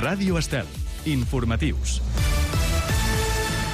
Ràdio Estel. Informatius.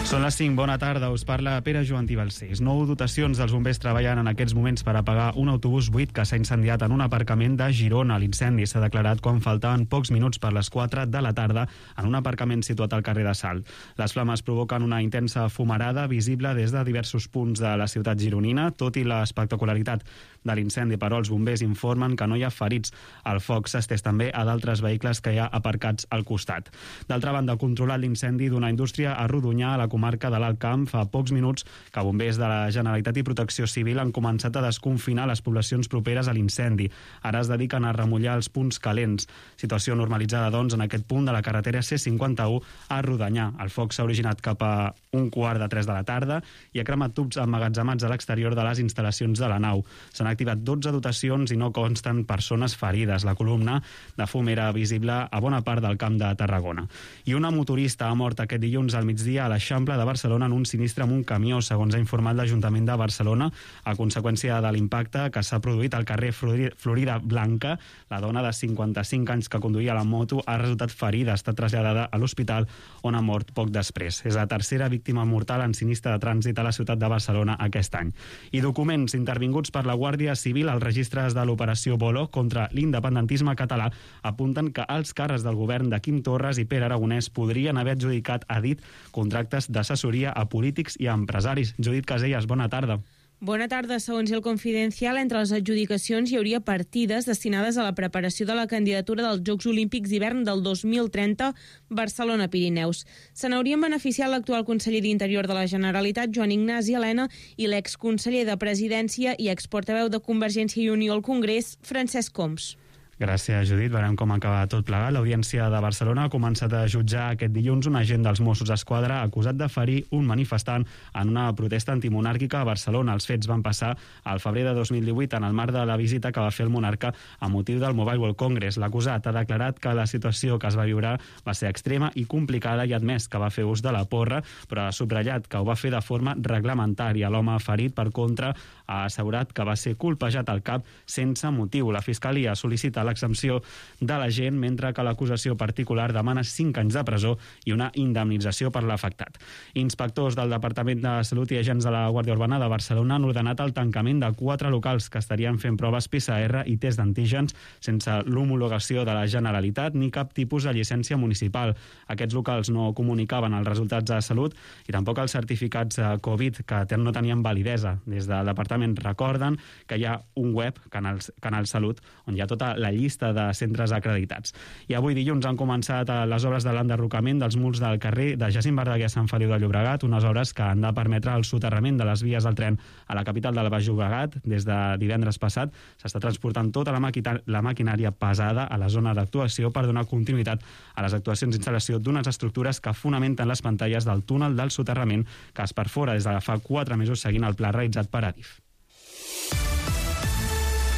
Són les 5, bona tarda, us parla Pere Joan Balcells. 9 dotacions dels bombers treballen en aquests moments per apagar un autobús buit que s'ha incendiat en un aparcament de Girona. L'incendi s'ha declarat quan faltaven pocs minuts per les 4 de la tarda en un aparcament situat al carrer de Salt. Les flames provoquen una intensa fumarada visible des de diversos punts de la ciutat gironina. Tot i l'espectacularitat de l'incendi, però, els bombers informen que no hi ha ferits. El foc s'ha estès també a d'altres vehicles que hi ha aparcats al costat. D'altra banda, controlat l'incendi d'una indústria a Rodonyà, a la comarca de l'Alt Camp, fa pocs minuts que bombers de la Generalitat i Protecció Civil han començat a desconfinar les poblacions properes a l'incendi. Ara es dediquen a remullar els punts calents. Situació normalitzada, doncs, en aquest punt de la carretera C51 a Rodonyà. El foc s'ha originat cap a 2:45 de la tarda i ha cremat tubs emmagatzemats a l'exterior de les instal·lacions de la nau. S'han activat 12 dotacions i no consten persones ferides. La columna de fum era visible a bona part del Camp de Tarragona. I una motorista ha mort aquest dilluns al migdia a l'Eixample de Barcelona en un sinistre amb un camió, segons ha informat l'Ajuntament de Barcelona, a conseqüència de l'impacte que s'ha produït al carrer Florida Blanca. La dona de 55 anys que conduïa la moto ha resultat ferida, ha estat traslladada a l'hospital on ha mort poc després. És la tercera víctima mortal en sinistre de trànsit a la ciutat de Barcelona aquest any. I documents intervinguts per la Guàrdia Civil als registres de l'operació Bolo contra l'independentisme català apunten que els càrrecs del govern de Quim Torres i Pere Aragonès podrien haver adjudicat a dit contractes d'assessoria a polítics i a empresaris. Judit Casellas, bona tarda. Bona tarda. Segons El Confidencial, entre les adjudicacions hi hauria partides destinades a la preparació de la candidatura dels Jocs Olímpics d'hivern del 2030 Barcelona-Pirineus. Se n'haurien beneficiat l'actual conseller d'Interior de la Generalitat, Joan Ignasi Elena, i l'exconseller de Presidència i exportaveu de Convergència i Unió al Congrés, Francesc Homs. Gràcies, Judit. Veurem com acaba tot plegat. L'Audiència de Barcelona ha començat a jutjar aquest dilluns un agent dels Mossos d'Esquadra acusat de ferir un manifestant en una protesta antimonàrquica a Barcelona. Els fets van passar al febrer de 2018 en el marc de la visita que va fer el monarca a motiu del Mobile World Congress. L'acusat ha declarat que la situació que es va viure va ser extrema i complicada i ha admès que va fer ús de la porra, però ha subratllat que ho va fer de forma reglamentària. L'home ferit, per contra, ha assegurat que va ser colpejat al cap sense motiu. La Fiscalia sol·licita l'exempció de l'agent, mentre que l'acusació particular demana 5 anys de presó i una indemnització per l'afectat. Inspectors del Departament de Salut i agents de la Guàrdia Urbana de Barcelona han ordenat el tancament de 4 locals que estarien fent proves PCR i test d'antígens sense l'homologació de la Generalitat ni cap tipus de llicència municipal. Aquests locals no comunicaven els resultats de salut i tampoc els certificats Covid, que no tenien validesa. Des del departament recorden que hi ha un web, Canal Salut, on hi ha tota la llista de centres acreditats. I avui dilluns han començat les obres de l'enderrocament dels murs del carrer de Jacint Verdaguer a Sant Feliu de Llobregat, unes obres que han de permetre el soterrament de les vies del tren a la capital del Baix Llobregat. Des de divendres passat s'està transportant tota la maquinària pesada a la zona d'actuació per donar continuïtat a les actuacions d'instal·lació d'unes estructures que fonamenten les pantalles del túnel del soterrament que es perfora des de fa 4 mesos seguint el pla realitzat per Adif.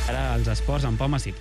Ara els esports amb Pau Massip.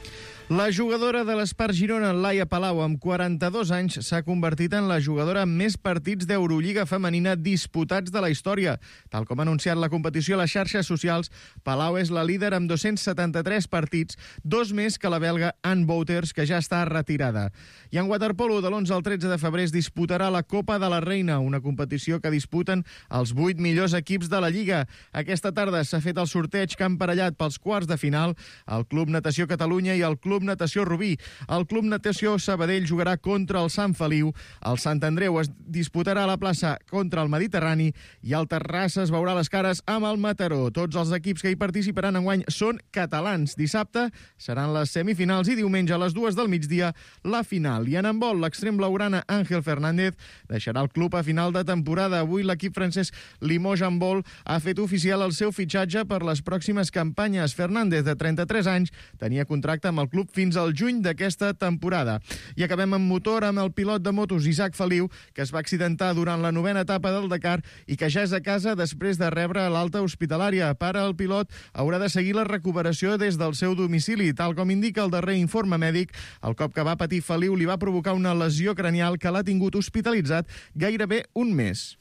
La jugadora de l'Espart Girona, Laia Palau, amb 42 anys, s'ha convertit en la jugadora amb més partits d'Eurolliga femenina disputats de la història. Tal com ha anunciat la competició a les xarxes socials, Palau és la líder amb 273 partits, 2 més que la belga Anne Wouters, que ja està retirada. I en waterpolo, de l'11 al 13 de febrer es disputarà la Copa de la Reina, una competició que disputen els 8 millors equips de la Lliga. Aquesta tarda s'ha fet el sorteig que han emparellat pels quarts de final el Club Natació Catalunya i el Club Natació Rubí. El Club Natació Sabadell jugarà contra el Sant Feliu, el Sant Andreu es disputarà a la plaça contra el Mediterrani i el Terrassa es veurà les cares amb el Mataró. Tots els equips que hi participaran enguany són catalans. Dissabte seran les semifinals i diumenge a les 2 del migdia la final. I en handbol, l'extrem blaugrana Ángel Fernández deixarà el club a final de temporada. Avui l'equip francès Limoges Handball ha fet oficial el seu fitxatge per les pròximes campanyes. Fernández, de 33 anys, tenia contracte amb el club fins al juny d'aquesta temporada. I acabem amb motor amb el pilot de motos Isaac Feliu, que es va accidentar durant la 9a etapa del Dakar i que ja és a casa després de rebre l'alta hospitalària. Per al pilot haurà de seguir la recuperació des del seu domicili. Tal com indica el darrer informe mèdic, el cop que va patir Feliu li va provocar una lesió cranial que l'ha tingut hospitalitzat gairebé un mes.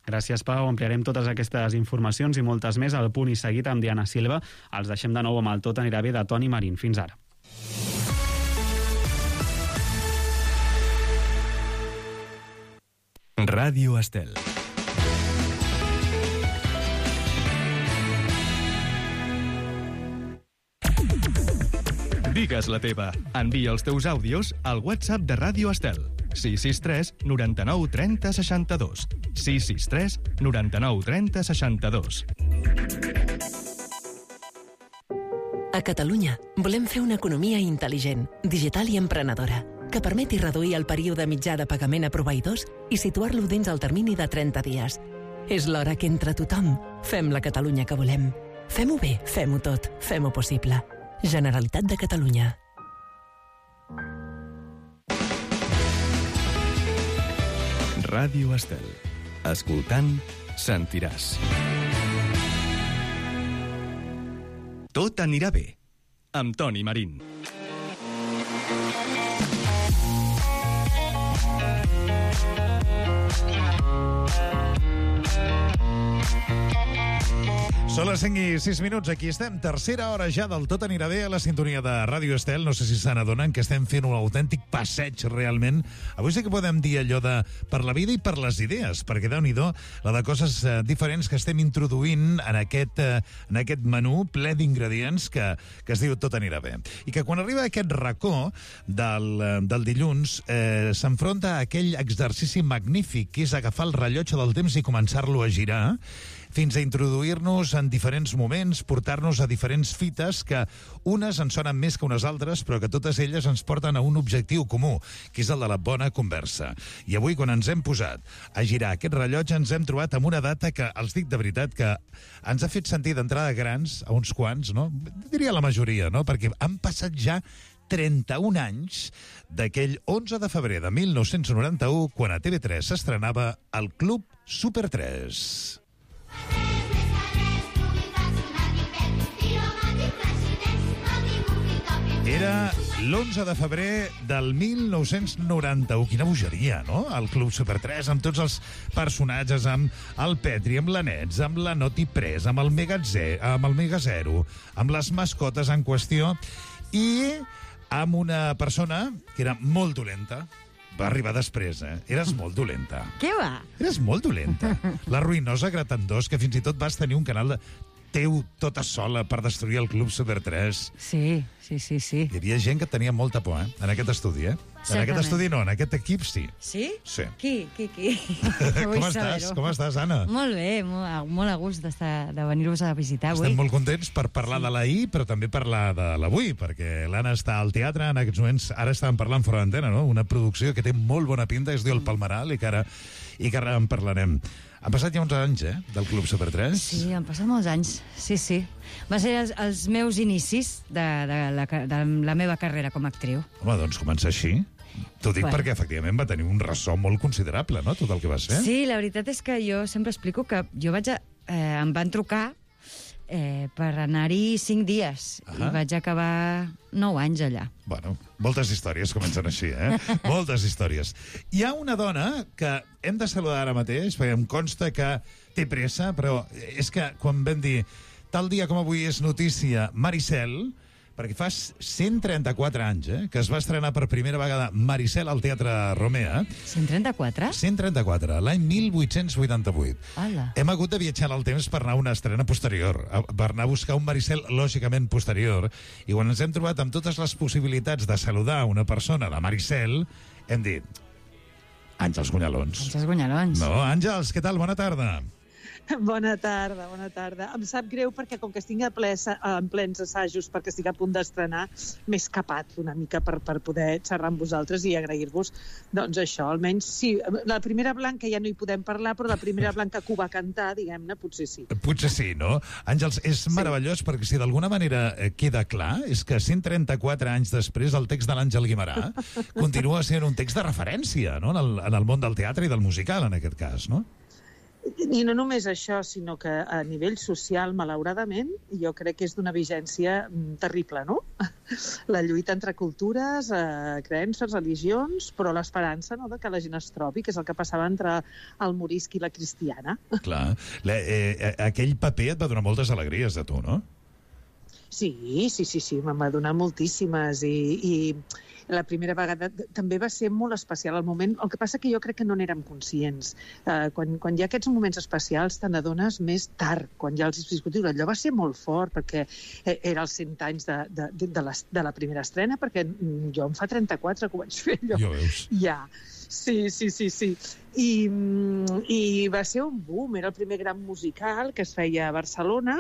Gràcies, Pau. Ampliarem totes aquestes informacions i moltes més al Punt i Seguit amb Diana Silva. Els deixem de nou amb el Tot anirà bé de Toni Marín. Fins ara. Ràdio Estel. Digues la teva. Envia els teus àudios al WhatsApp de Ràdio Estel. 663 99 30 62. 663 99 30 62. A Catalunya volem fer una economia intel·ligent, digital i emprenedora, que permeti reduir el període mitjà de pagament a proveïdors i situar-lo dins el termini de 30 dies. És l'hora que entre tothom fem la Catalunya que volem. Fem-ho bé, fem-ho tot, fem-ho possible. Generalitat de Catalunya. Ràdio Estel. Escoltant, sentiràs. Tot anirà bé. Amb Toni Marín. Són les 5 i 6 minuts, aquí estem. Tercera hora ja del Tot anirà bé a la sintonia de Ràdio Estel. No sé si se n'adonen que estem fent un autèntic passeig realment. Avui sí que podem dir allò de per la vida i per les idees, perquè Déu-n'hi-do la de coses diferents que estem introduint en aquest menú ple d'ingredients que es diu Tot anirà bé. I que quan arriba aquest racó del dilluns s'enfronta a aquell exercici magnífic que és agafar el rellotge del temps i començar-lo a girar fins a introduir-nos en diferents moments, portar-nos a diferents fites que unes en sonen més que unes altres, però que totes elles ens porten a un objectiu comú, que és el de la bona conversa. I avui, quan ens hem posat a girar aquest rellotge, ens hem trobat amb una data que, els dic de veritat, que ens ha fet sentir d'entrada grans, a uns quants, no? Diria la majoria, no? Perquè han passat ja 31 anys d'aquell 11 de febrer de 1991, quan a TV3 s'estrenava el Club Super 3. Era l'11 de febrer del 1991. Quina bogeria, no? El Club Super 3, amb tots els personatges, amb el Petri, amb l'Anets, amb la Noti Pres, amb el Mega Zero, amb les mascotes en qüestió, i amb una persona que era molt dolenta. Va arribar després, Eres molt dolenta. Què va? Eres molt dolenta. La ruïnosa Gratandós, que fins i tot vas tenir un canal teu tota sola per destruir el Club Super 3. Sí. Hi havia gent que tenia molta por, en aquest estudi, En aquest estudi no, en aquest equip sí. Sí? Sí. Qui? Com estàs, Anna? Molt bé, molt a gust de venir-vos a visitar avui. Estem molt contents per parlar de l'ahir, però també parlar de l'avui, perquè l'Anna està al teatre en aquests moments. Ara estàvem parlant fora d'antena, no? Una producció que té molt bona pinta, que es diu El Palmeral, i que ara en parlarem. Han passat ja uns anys, del Club Super 3? Sí, han passat molts anys, sí. Va ser els meus inicis de la meva carrera com a actriu. Home, doncs comença així. T'ho dic perquè, efectivament, va tenir un ressò molt considerable, no?, tot el que vas fer. Sí, la veritat és que jo sempre explico que jo em van trucar per anar-hi 5 dies i vaig acabar 9 anys allà. Bueno, moltes històries comencen així, Moltes històries. Hi ha una dona que hem de saludar ara mateix, perquè em consta que té pressa, però és que quan vam dir tal dia com avui és notícia Maricel, perquè fa 134 anys que es va estrenar per primera vegada Maricel al Teatre Romea. 134? 134, l'any 1888. Hola. Hem hagut de viatjar al temps per anar a una estrena posterior, per anar a buscar un Maricel lògicament posterior, i quan ens hem trobat amb totes les possibilitats de saludar una persona de Maricel, hem dit Àngels Gunyalons. Àngels Gunyalons. No, Àngels, què tal? Bona tarda. Bona tarda. Em sap greu perquè com que estic en plens assajos perquè estic a punt d'estrenar, m'he escapat una mica per poder xerrar amb vosaltres i agrair-vos. Doncs això, almenys sí. La primera blanca ja no hi podem parlar, però la primera blanca que ho va cantar, diguem-ne, potser sí. Potser sí, no? Àngels, és meravellós perquè si d'alguna manera queda clar és que 134 anys després el text de l'Àngel Guimerà continua sent un text de referència, no?, en el món del teatre i del musical, en aquest cas, no? I no només això, sinó que a nivell social, malauradament, jo crec que és d'una vigència terrible, no? La lluita entre cultures, creences, religions, però l'esperança, no?, de que la gent es trobi, que és el que passava entre el morisc i la cristiana. Clar. Aquell paper et va donar moltes alegries de tu, no? Sí, me'n va donar moltíssimes i la primera vegada també va ser molt especial el moment. El que passa que jo crec que no n'érem conscients. Quan hi ha aquests moments especials te n'adones més tard, quan ja els has viscut. Allò va ser molt fort, perquè era els 100 anys de la primera estrena, perquè jo em fa 34 que ho vaig fer allò. Jo veus. Ja. Sí. I va ser un boom, era el primer gran musical que es feia a Barcelona,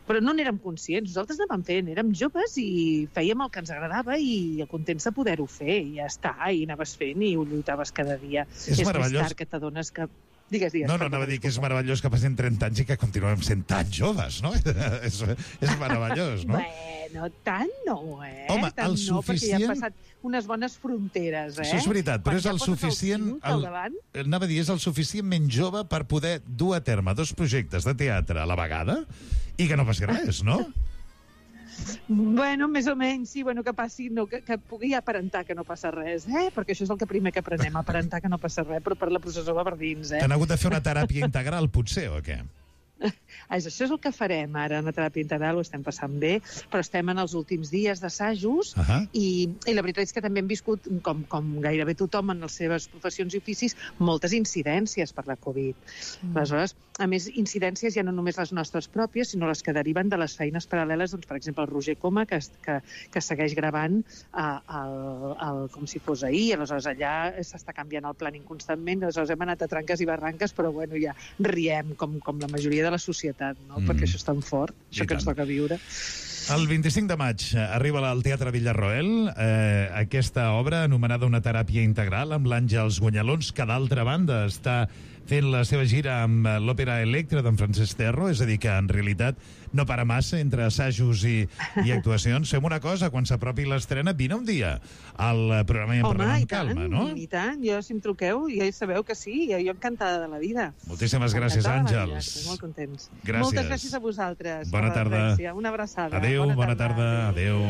però no n'érem conscients. Nosaltres anàvem fent, érem joves i fèiem el que ens agradava i contents de poder-ho fer, i ja està, i anaves fent i ho lluitaves cada dia. És meravellós. Més tard que t'adones que... Digues. No, anava a dir que és meravellós que passin 30 anys i que continuem sent tan joves, no? És meravellós, no? Bueno, tant no, Home, tant el no, perquè ja suficient... han passat unes bones fronteres, Això és veritat, però és el suficient... Anava a dir, és el suficientment jove per poder dur a terme 2 projectes de teatre a la vegada i que no passi res, no? Bueno, més o menys, sí, que passi, que pugui aparentar que no passa res, perquè això és el que primer que aprenem, aparentar que no passa res, però per la processó va per dins, T'han hagut de fer una teràpia integral, potser, o què? Això és el que farem ara, una teràpia integral, ho estem passant bé, però estem en els últims dies d'assajos i la veritat és que també hem viscut, com gairebé tothom en les seves professions i oficis, moltes incidències per la Covid. Aleshores, a més, incidències ja no només les nostres pròpies, sinó les que deriven de les feines paral·leles, doncs, per exemple, el Roger Coma, que segueix gravant com si fos ahir, aleshores allà s'està canviant el planning constantment, aleshores hem anat a tranques i barranques, però bueno, ja riem com la majoria de la societat, no? Perquè això és tan fort, això que ens toca viure. El 25 de maig arriba al Teatre Villarroel aquesta obra anomenada Una teràpia integral amb l'Àngels Guanyalons, que d'altra banda està fent la seva gira amb l'Òpera Electra d'en Francesc Terro, és a dir, que en realitat no para massa entre assajos i actuacions. Fem una cosa, quan s'apropi l'estrena, vine un dia al programa i en parlem amb calma, no? I tant, jo si em truqueu, ja sabeu que sí, jo encantada de la vida. Moltíssimes gràcies, Àngels. Estic molt contents. Gràcies. Moltes gràcies a vosaltres. Bona tarda. Una abraçada. Adéu, bona tarda. Adéu.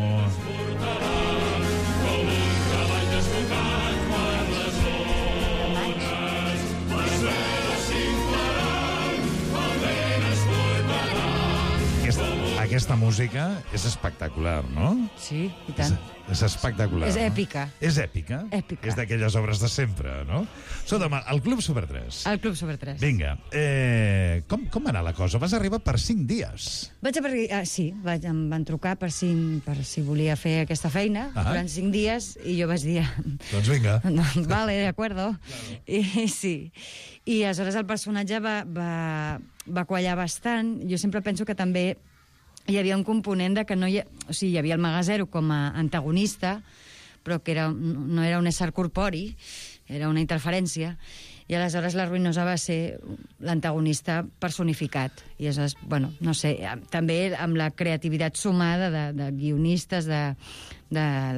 Aquesta música és espectacular, no? Sí, i tant. És espectacular. És èpica. És èpica? Èpica. És d'aquelles obres de sempre, no? Escolta'm, el Club Super 3. El Club Super 3. Vinga, com va anar la cosa? Vas arribar per 5 dies. Sí, em van trucar per si volia fer aquesta feina durant 5 dies i jo vaig dir... Doncs vinga. Vale, de acuerdo. Claro. I sí. I aleshores el personatge va quallar bastant. Jo sempre penso que també hi havia un component de que no hi havia el Magasero com a antagonista, però que no era un ésser corpori, era una interferència, i aleshores la Ruïnosa va ser l'antagonista personificat. I aleshores, bueno, no sé, també amb la creativitat sumada de guionistes, de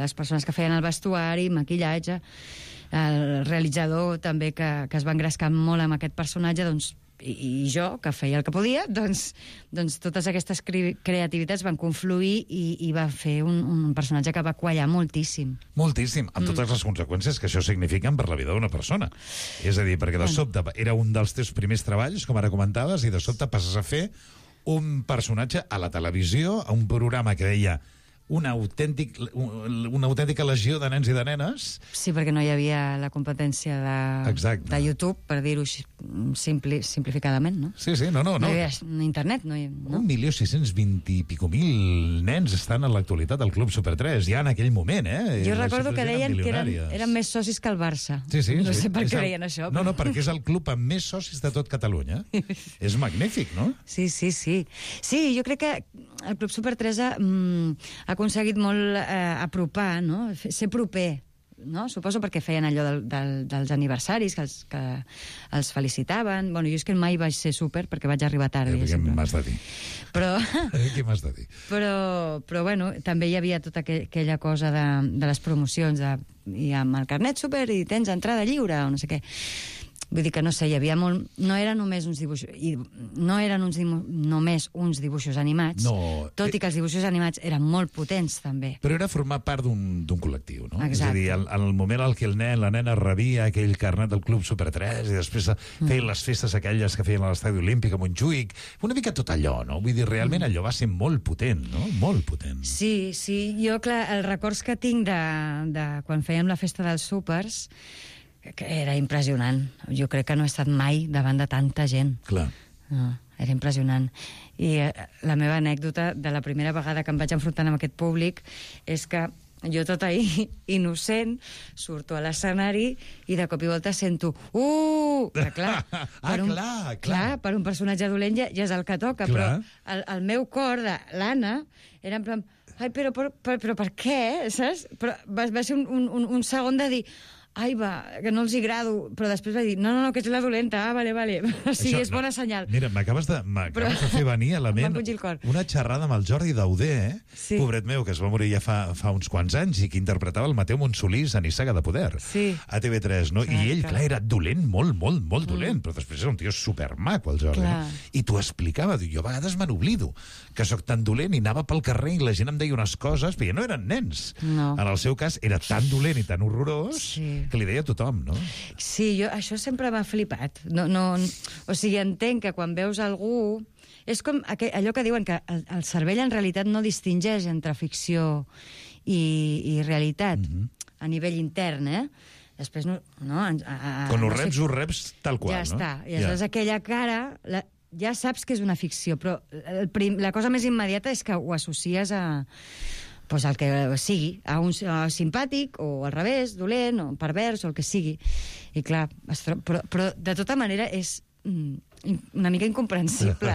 les persones que feien el vestuari, maquillatge, el realitzador també que es va engrescar molt amb aquest personatge, doncs, i jo, que feia el que podia, doncs totes aquestes creativitats van confluir i va fer un personatge que va quallar moltíssim. Moltíssim, amb totes les conseqüències que això significa per la vida d'una persona. És a dir, perquè de sobte era un dels teus primers treballs, com ara comentaves, i de sobte passes a fer un personatge a la televisió, a un programa que deia una autèntica legió de nens i de nenes. Sí, perquè no hi havia la competència de YouTube, per dir-ho simplificadament, no? Sí, no. No hi havia internet, no? 1.620.000 i pico nens estan en l'actualitat al Club Super 3, ja en aquell moment, Jo recordo que deien que eren més socis que el Barça. Sí. No sé per què deien això. No, perquè és el club amb més socis de tot Catalunya. És magnífic, no? Sí. Sí, jo crec que el Club Super 3 ha aconseguit molt apropar, no? Ser proper, no? Suposo perquè feien allò dels aniversaris, que els felicitaven. Bueno, jo és que mai vaig ser súper perquè vaig arribar tard. Què m'has de dir? Què m'has de dir? Però bueno, també hi havia tota aquella cosa de les promocions, i amb el carnet súper i tens entrada lliure, o no sé què. Vull dir que, no sé, hi havia molt... No eren només uns dibuixos... només uns dibuixos animats, tot i que els dibuixos animats eren molt potents, també. Però era formar part d'un col·lectiu, no? Exacte. És a dir, en el moment en què la nena rebia aquell carnet del Club Super 3 i després feien les festes aquelles que feien a l'Estadi Olímpic a Montjuïc, una mica tot allò, no? Vull dir, realment allò va ser molt potent, no? Molt potent. Sí, jo, clar, els records que tinc de quan fèiem la festa dels súpers, que era impressionant. Jo crec que no he estat mai davant de tanta gent. Clar. No, era impressionant. I la meva anècdota de la primera vegada que em vaig enfrontar amb aquest públic és que jo tota innocent surto a l'escenari i de cop i volta sento que clar, per un personatge dolent ja és el que toca, clar. Però el meu cor de l'Anna era en plan, ai, però per què, saps? Però va ser un segon de dir, ai, que no els hi agrado, però després va dir, no, que ets la dolenta, vale. O sigui, és bona senyal. Mira, m'acabes de fer venir a la ment una xerrada amb el Jordi Dauder, sí. Pobret meu, que es va morir ja fa uns quants anys i que interpretava el Mateu Monsolís a Nissaga de Poder, sí. A TV3, no? I ell, clar, era dolent, molt dolent, però després era un tio supermaco, el Jordi. No? I t'ho explicava, jo a vegades me n'oblido, que sóc tan dolent i anava pel carrer i la gent em deia unes coses, però ja no eren nens. No. En el seu cas era tan dolent i tan horrorós, sí, que li deia a tothom, no? Sí, això sempre m'ha flipat. O sigui, entenc que quan veus algú... És com allò que diuen que el cervell en realitat no distingeix entre ficció i realitat, a nivell intern, Després no... Quan ho reps tal qual, ja no? Està. I aleshores aquella cara... Ja saps que és una ficció, però la cosa més immediata és que ho associes a... Pues el que sigui, a un simpàtic, o al revés, dolent, o pervers, o el que sigui. I clar, però de tota manera és una mica incomprensible,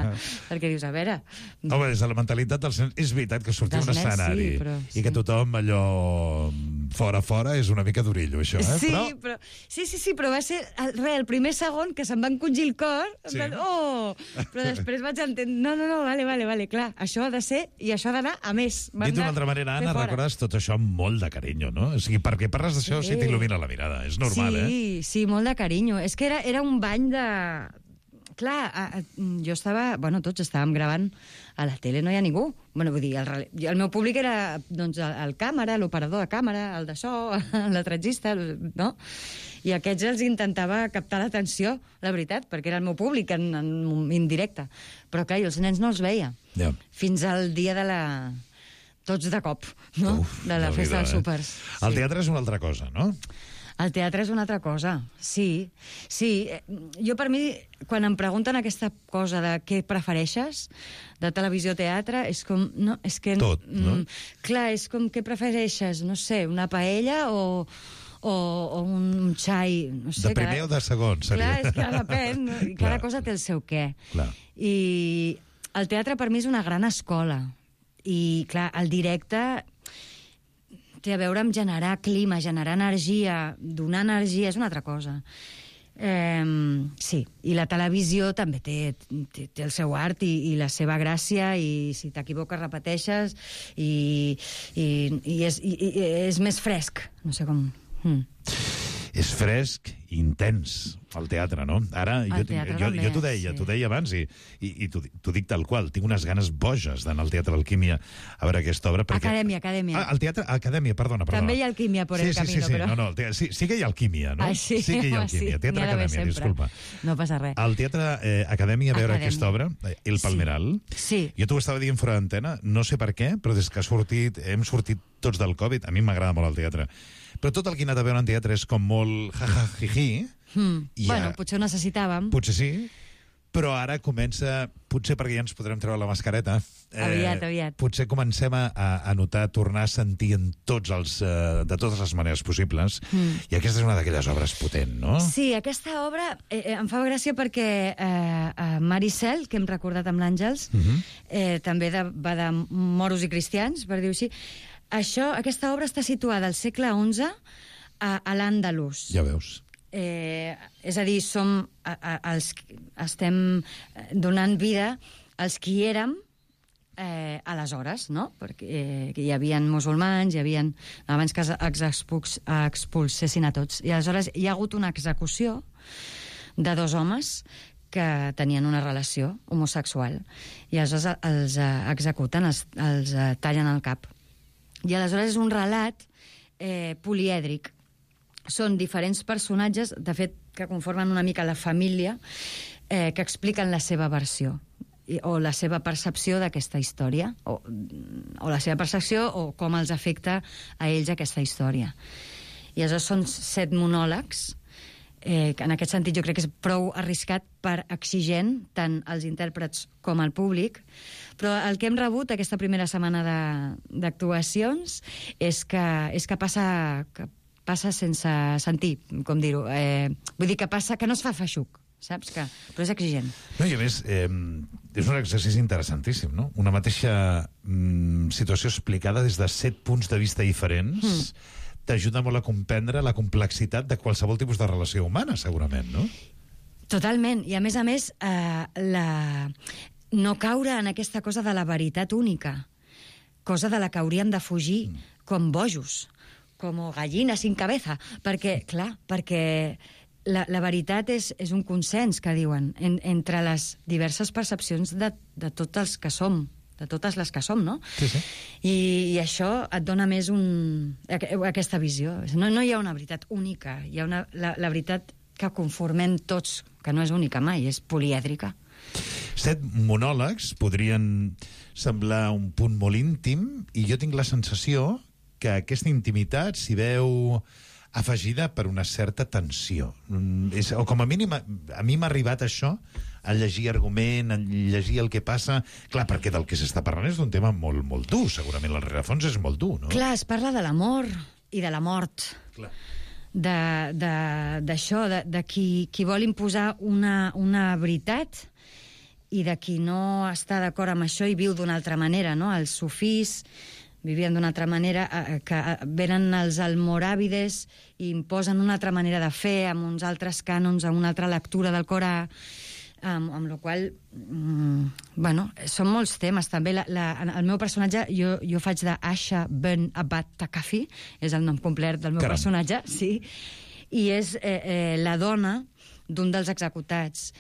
perquè dius, a veure... Home, des de la mentalitat dels nens, és veritat que sortir a un escenari i que tothom allò fora és una mica durillo, això, Sí, però va ser el primer segon que se'm va encongir el cor, però després vaig entendre, no, vale, clar, això ha de ser i això ha d'anar a més. Dit d'una altra manera, Anna, recordes tot això amb molt de carinyo, no? O sigui, perquè parles d'això si t'il·lumina la mirada, és normal, Sí, molt de carinyo. És que era un bany de... Clar, jo estava... Bueno, tots estàvem gravant a la tele, no hi ha ningú. Bueno, vull dir, el meu públic era doncs, el càmera, l'operador de càmera, el de so, l'atretzista, no? I aquests els intentava captar l'atenció, la veritat, perquè era el meu públic en indirecte. Però, clar, jo els nens no els veia. Fins al dia de la... Tots de cop, no? De la festa dels súpers. El teatre és una altra cosa, no? El teatre és una altra cosa, sí. Jo, per mi, quan em pregunten aquesta cosa de què prefereixes, de televisió o teatre, és com... No, és que, tot, no? Clar, és com què prefereixes, no sé, una paella o un xai... No sé, de primer o de segon, seria. Clar, és que depèn. Cada cosa té el seu què. Clar. I el teatre, per mi, és una gran escola. I, clar, el directe... té a veure amb generar clima, generar energia, donar energia, és una altra cosa. Sí, i la televisió també té el seu art i la seva gràcia, i si t'equivoques repeteixes, i és més fresc, no sé com... És fresc i intens, el teatre, no? Ara, jo t'ho deia abans, i t'ho dic tal qual, tinc unes ganes boges d'anar al Teatre Alquímia a veure aquesta obra. Acadèmia. Al Teatre Acadèmia, perdona. També hi ha alquímia por el camino, però... No, sí que hi ha alquímia, no? Sí que hi ha alquímia. Teatre Acadèmia, disculpa. No passa res. Al Teatre Acadèmia a veure aquesta obra, El Palmeral. Sí. Jo t'ho estava dient fora d'antena, no sé per què, però des que hem sortit tots del Covid, a mi m'agrada molt el teatre. Però tot el que he anat a veure en teatre és com molt jiji. Bueno, potser ho necessitàvem. Potser sí, però ara comença, potser perquè ja ens podrem treure la mascareta, aviat. Potser comencem a notar, tornar a sentir de totes les maneres possibles, i aquesta és una d'aquelles obres potent, no? Sí, aquesta obra em fa gràcia perquè Maricel, que hem recordat amb l'Àngels, també va de moros i cristians, per dir-ho així. Aquesta obra està situada al segle XI a l'Àndalus. Ja veus. És a dir, estem donant vida als qui érem aleshores, no? Perquè hi havia musulmans, abans que expulsessin a tots. I aleshores hi ha hagut una execució de 2 homes que tenien una relació homosexual. I aleshores els executen, els tallen el cap. I aleshores és un relat polièdric. Són diferents personatges, de fet, que conformen una mica la família, que expliquen la seva versió o la seva percepció d'aquesta història, o la seva percepció o com els afecta a ells aquesta història. I aleshores són 7 monòlegs, que en aquest sentit jo crec que és prou arriscat per exigent tant als intèrprets com al públic, però el que hem rebut aquesta primera setmana d'actuacions és que passa sense sentir, com dir-ho. Vull dir que passa, que no es fa feixuc, saps? Però és exigent. No, i a més, és un exercici interessantíssim, no? Una mateixa situació explicada des de 7 punts de vista diferents t'ajuda molt a comprendre la complexitat de qualsevol tipus de relació humana, segurament, no? Totalment. I a més, no caure en aquesta cosa de la veritat única, cosa de la que hauríem de fugir com bojos, com gallina sin cabeza, perquè la veritat és un consens, que diuen, entre les diverses percepcions de tots els que som, de totes les que som, no? Sí, sí. I això et dona més aquesta visió. No hi ha una veritat única, hi ha la veritat que conformem tots, que no és única mai, és polièdrica. 7 monòlegs podrien semblar un punt molt íntim, i jo tinc la sensació que aquesta intimitat s'hi veu afegida per una certa tensió. O com a mínim, a mi m'ha arribat això, a llegir argument, a llegir el que passa. Clar, perquè del que s'està parlant és d'un tema molt, molt dur. Segurament el rerefons és molt dur, no? Clar, es parla de l'amor i de la mort. Clar. D'això, de qui vol imposar una veritat i de qui no està d'acord amb això i viu d'una altra manera, no? Els sufís vivien d'una altra manera, que venen els almoràvides i imposen una altra manera de fer, amb uns altres cànons, amb una altra lectura del Corà, amb la qual són molts temes. També el meu personatge, jo faig d'Asha Ben Abad Takafi, és el nom complet del meu personatge, sí, i és la dona d'un dels executats.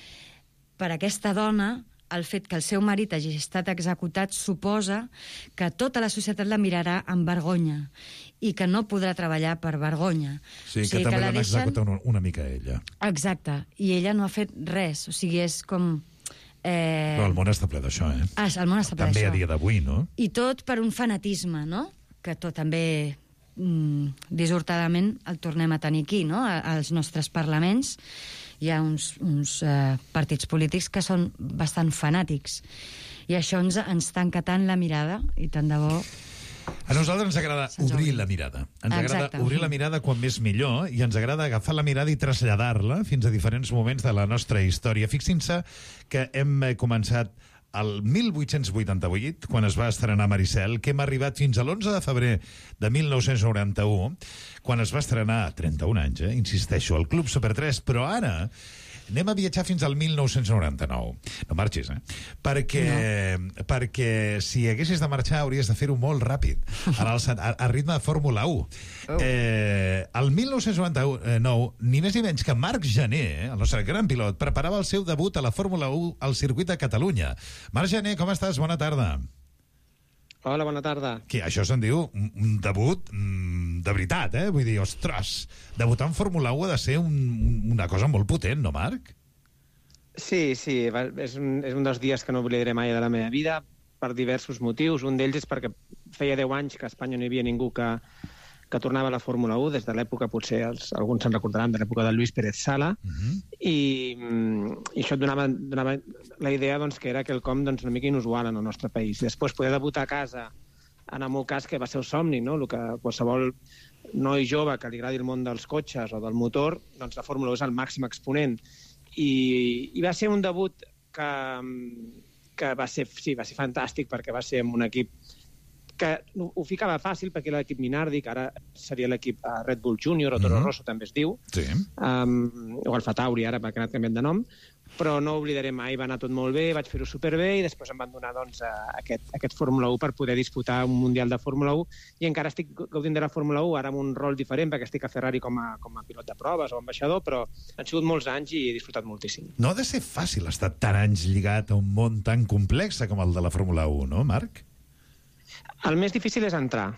Per aquesta dona, el fet que el seu marit hagi estat executat suposa que tota la societat la mirarà amb vergonya i que no podrà treballar per vergonya. Sí, que també l'han executat una mica ella. Exacte, i ella no ha fet res, o sigui, és com... Però el món està ple d'això, eh? El món està ple també d'això. A dia d'avui, no? I tot per un fanatisme, no? Que tot també dissortadament el tornem a tenir aquí, no? Als nostres parlaments hi ha uns partits polítics que són bastant fanàtics. I això ens tanca tant la mirada, i tant de bo... A nosaltres ens agrada obrir la mirada. Ens agrada obrir la mirada quan més millor, i ens agrada agafar la mirada i traslladar-la fins a diferents moments de la nostra història. Fixin-se que hem començat el 1888, quan es va estrenar Maricel, que hem arribat fins a l'11 de febrer de 1991, quan es va estrenar, 31 anys, insisteixo, al Club Super 3, però ara anem a viatjar fins al 1999. No marxis, Perquè si haguessis de marxar hauries de fer-ho molt ràpid, a ritme de Fórmula 1. El 1999, ni més ni menys que Marc Gené, el nostre gran pilot, preparava el seu debut a la Fórmula 1 al circuit de Catalunya. Marc Gené, com estàs? Bona tarda. Hola, bona tarda. Que això se'n diu un debut de veritat, Vull dir, ostres, debutar en Fórmula 1 ha de ser una cosa molt potent, no, Marc? Sí, és un dels dies que no oblidaré mai de la meva vida, per diversos motius. Un d'ells és perquè feia 10 anys que a Espanya no hi havia ningú que tornava a la Fórmula 1, des de l'època, potser alguns se'n recordaran, de l'època de Luis Pérez Sala, i això et donava la idea que era quelcom una mica inusual en el nostre país. Després, poder debutar a casa, en el meu cas, que va ser el somni, no? El que qualsevol noi jove que li agradi el món dels cotxes o del motor, doncs la Fórmula 1 és el màxim exponent. I va ser un debut que va ser fantàstic, perquè va ser amb un equip que ho ficava fàcil perquè era l'equip Minardi, que ara seria l'equip Red Bull Junior o Toro Rosso també es diu, o Alfa Tauri ara perquè ha anat canviant de nom, però no oblidaré mai, va anar tot molt bé, vaig fer-ho superbé i després em van donar aquest Fórmula 1 per poder disputar un Mundial de Fórmula 1 i encara estic gaudint de la Fórmula 1 ara amb un rol diferent perquè estic a Ferrari com a pilot de proves o ambaixador, però han sigut molts anys i he disfrutat moltíssim. No ha de ser fàcil estar tant anys lligat a un món tan complex com el de la Fórmula 1, no, Marc? El més difícil és entrar.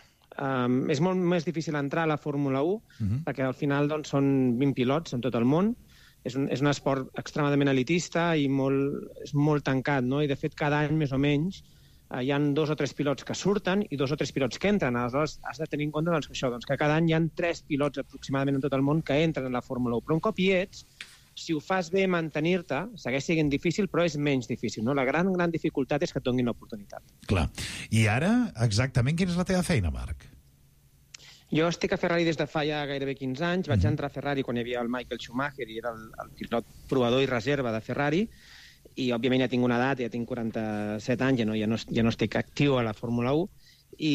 És molt més difícil entrar a la Fórmula 1 perquè al final doncs, són 20 pilots en tot el món. És un esport extremadament elitista i és molt tancat, no? I de fet cada any més o menys hi ha 2 o 3 pilots que surten i 2 o 3 pilots que entren. Aleshores has de tenir en compte que cada any hi ha 3 pilots aproximadament en tot el món que entren en la Fórmula 1. Però un cop hi ets, si ho fas bé mantenir-te, segueix sent difícil, però és menys difícil. No? La gran dificultat és que et donin l'oportunitat. Clar. I ara, exactament, quina és la teva feina, Marc? Jo estic a Ferrari des de fa ja gairebé 15 anys. Vaig entrar a Ferrari quan hi havia el Michael Schumacher i era el pilot provador i reserva de Ferrari. I, òbviament, ja tinc una edat, ja tinc 47 anys, ja no estic actiu a la Fórmula 1. I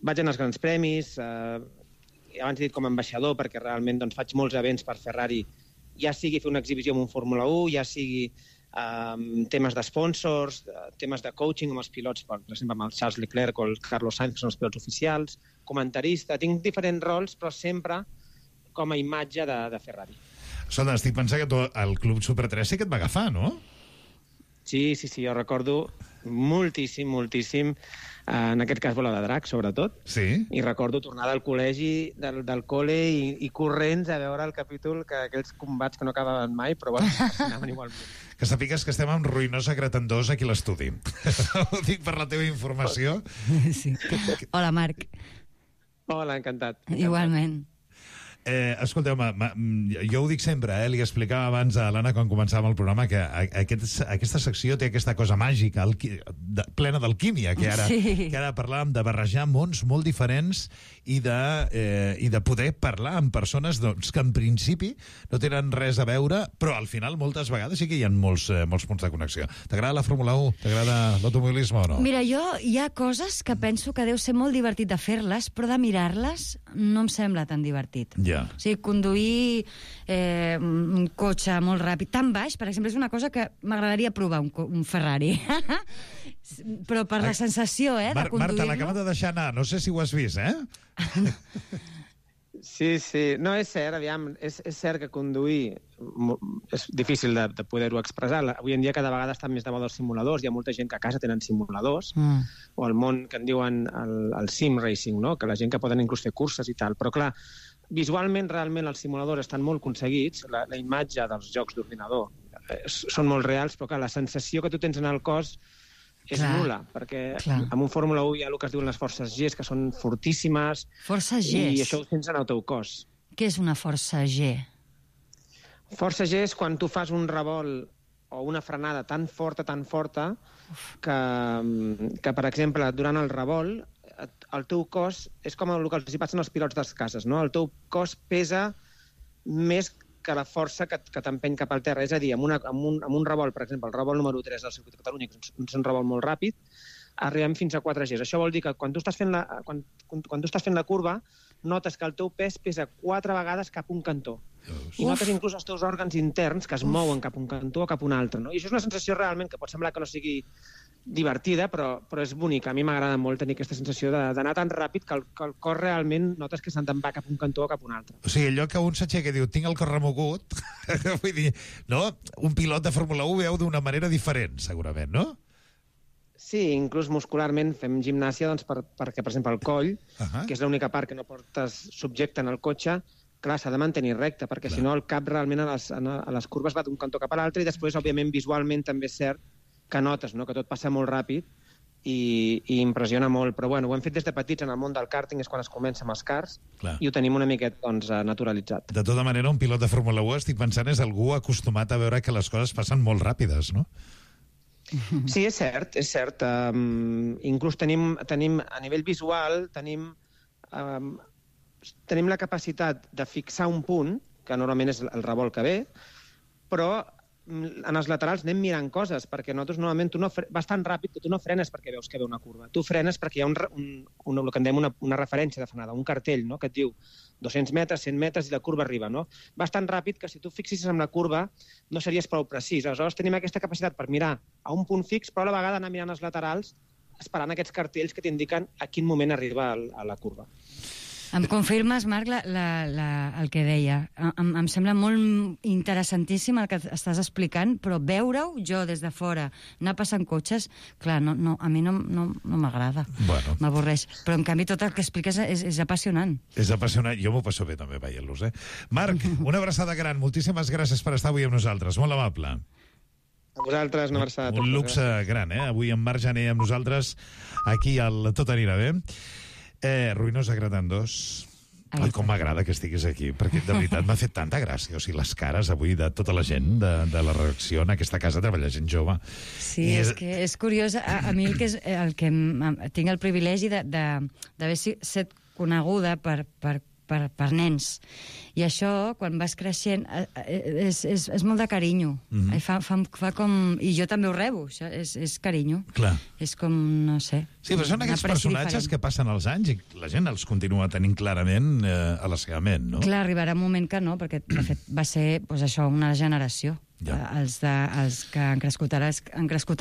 vaig anar als grans premis, abans he dit com a ambaixador, perquè realment doncs, faig molts events per Ferrari, ja sigui fer una exhibició amb un Fórmula 1, ja sigui temes de sponsors, temes de coaching amb els pilots, per exemple, amb el Charles Leclerc o el Carlos Sainz, que són els pilots oficials, comentarista, tinc diferents rols, però sempre com a imatge de Ferrari. Escolta, estic pensant que el Club Super 3 sí que et va agafar, no? Sí, jo recordo moltíssim, en aquest cas Bola de Drac, sobretot. Sí. I recordo tornar del col·legi, del col·le i corrents a veure el capítol, aquells combats que no acabaven mai, però bueno, anaven igualment. Que sàpigues que estem amb ruïnosa Cretendós aquí a l'estudi. Ho dic per la teva informació. Sí. Hola, Marc. Hola, encantat. Igualment. Escolteu, jo ho dic sempre, li explicava abans a l'Anna quan començàvem el programa que aquesta secció té aquesta cosa màgica, plena d'alquímia, que ara parlàvem de barrejar mons molt diferents i de poder parlar amb persones que en principi no tenen res a veure, però al final moltes vegades sí que hi ha molts punts de connexió. T'agrada la Fórmula 1? T'agrada l'automobilisme o no? Mira, hi ha coses que penso que deu ser molt divertit de fer-les, però de mirar-les no em sembla tan divertit. Ja. O sigui, conduir un cotxe molt ràpid, tan baix, per exemple, és una cosa que m'agradaria provar, un Ferrari. Però per la sensació, de conduir-lo... Marta, l'acaba de deixar anar, no sé si ho has vist, Sí. No, és cert, aviam, és cert que conduir és difícil de poder-ho expressar. Avui en dia cada vegada estan més de moda els simuladors, hi ha molta gent que a casa tenen simuladors, o el món que en diuen el sim racing, no? Que la gent que poden inclús fer curses i tal. Però clar, visualment, realment, els simuladors estan molt aconseguits, la imatge dels jocs d'ordinador són molt reals, però clar, la sensació que tu tens en el cos és nul·la, perquè en un Fórmula 1 hi ha el que es diuen les forces G, que són fortíssimes, i això ho sents en el teu cos. Què és una força G? Força G és quan tu fas un revolt o una frenada tan forta, que per exemple, durant el revolt, el teu cos és com el que els passen als pilots de les cases, no? El teu cos pesa més que la força que t'empeny cap al terra. És a dir, amb un revolt, per exemple, el revolt número 3 del Circuit de Catalunya, que és un revolt molt ràpid, arribem fins a 4 Gs. Això vol dir que quan tu estàs fent la curva, notes que el teu pes pesa 4 vegades cap a un cantó. I notes inclús els teus òrgans interns que es mouen cap a un cantó o cap a un altre. No? I això és una sensació realment que pot semblar que no sigui divertida, però és bonica. A mi m'agrada molt tenir aquesta sensació d'anar tan ràpid que el cor realment notes que se'n va cap a un cantó o cap a un altre. O sigui, allò que un s'aixeca i diu, tinc el cor remogut, vull dir, no? Un pilot de Fórmula 1 veu d'una manera diferent, segurament, no? Sí, inclús muscularment fem gimnàsia perquè, per exemple, el coll, que és l'única part que no portes subjecte en el cotxe, clar, s'ha de mantenir recte, perquè si no el cap realment a les curves va d'un cantó cap a l'altre i després, òbviament, visualment també és cert que notes, no?, que tot passa molt ràpid i impressiona molt. Però bueno, ho hem fet des de petits en el món del karting, és quan es comença amb els karts, i ho tenim una miqueta naturalitzat. De tota manera, un pilot de Fórmula 1, estic pensant, és algú acostumat a veure que les coses passen molt ràpides, no? Sí, és cert. Inclús tenim a nivell visual, tenim la capacitat de fixar un punt, que normalment és el revolt que ve, però en els laterals anem mirant coses, perquè nosaltres normalment vas tan ràpid que tu no frenes perquè veus que ve una curva. Tu frenes perquè hi ha el que en dèiem una referència de frenada, un cartell, no?, que et diu 200 metres, 100 metres i la curva arriba, no? Vas tan ràpid que si tu fixissis en la curva no series prou precís. Aleshores tenim aquesta capacitat per mirar a un punt fix, però a la vegada anar mirant els laterals esperant aquests cartells que t'indiquen a quin moment arriba a la curva. Em confirmes, Marc, el que deia. Em sembla molt interessantíssim el que estàs explicant, però veure-ho jo des de fora, anar passant cotxes, clar, a mi no m'agrada. Bueno. M'avorreix. Però, en canvi, tot el que expliques és apassionant. És apassionant. Jo m'ho passo bé també veient-los, Marc, una abraçada gran. Moltíssimes gràcies per estar avui amb nosaltres. Molt amable. A vosaltres, una abraçada. Un luxe gran, Avui en Marc Jané amb nosaltres, aquí al Tot anirà bé. Ruïnosa Gratant 2. Ai, com m'agrada que estiguis aquí, perquè de veritat m'ha fet tanta gràcia. O sigui, les cares avui de tota la gent de la redacció en aquesta casa treballa gent jove. Sí, és que és curiós. A mi el que tinc el privilegi d'haver estat coneguda per nens. I això, quan vas creixent, és molt de carinyo. Fa com... I jo també ho rebo, això és carinyo. Clar. És com, no sé... Sí, però són aquests personatges que passen els anys i la gent els continua tenint clarament a la seva ment, no? Clar, arribarà un moment que no, perquè de fet va ser això, una generació. Ja. Els que han crescut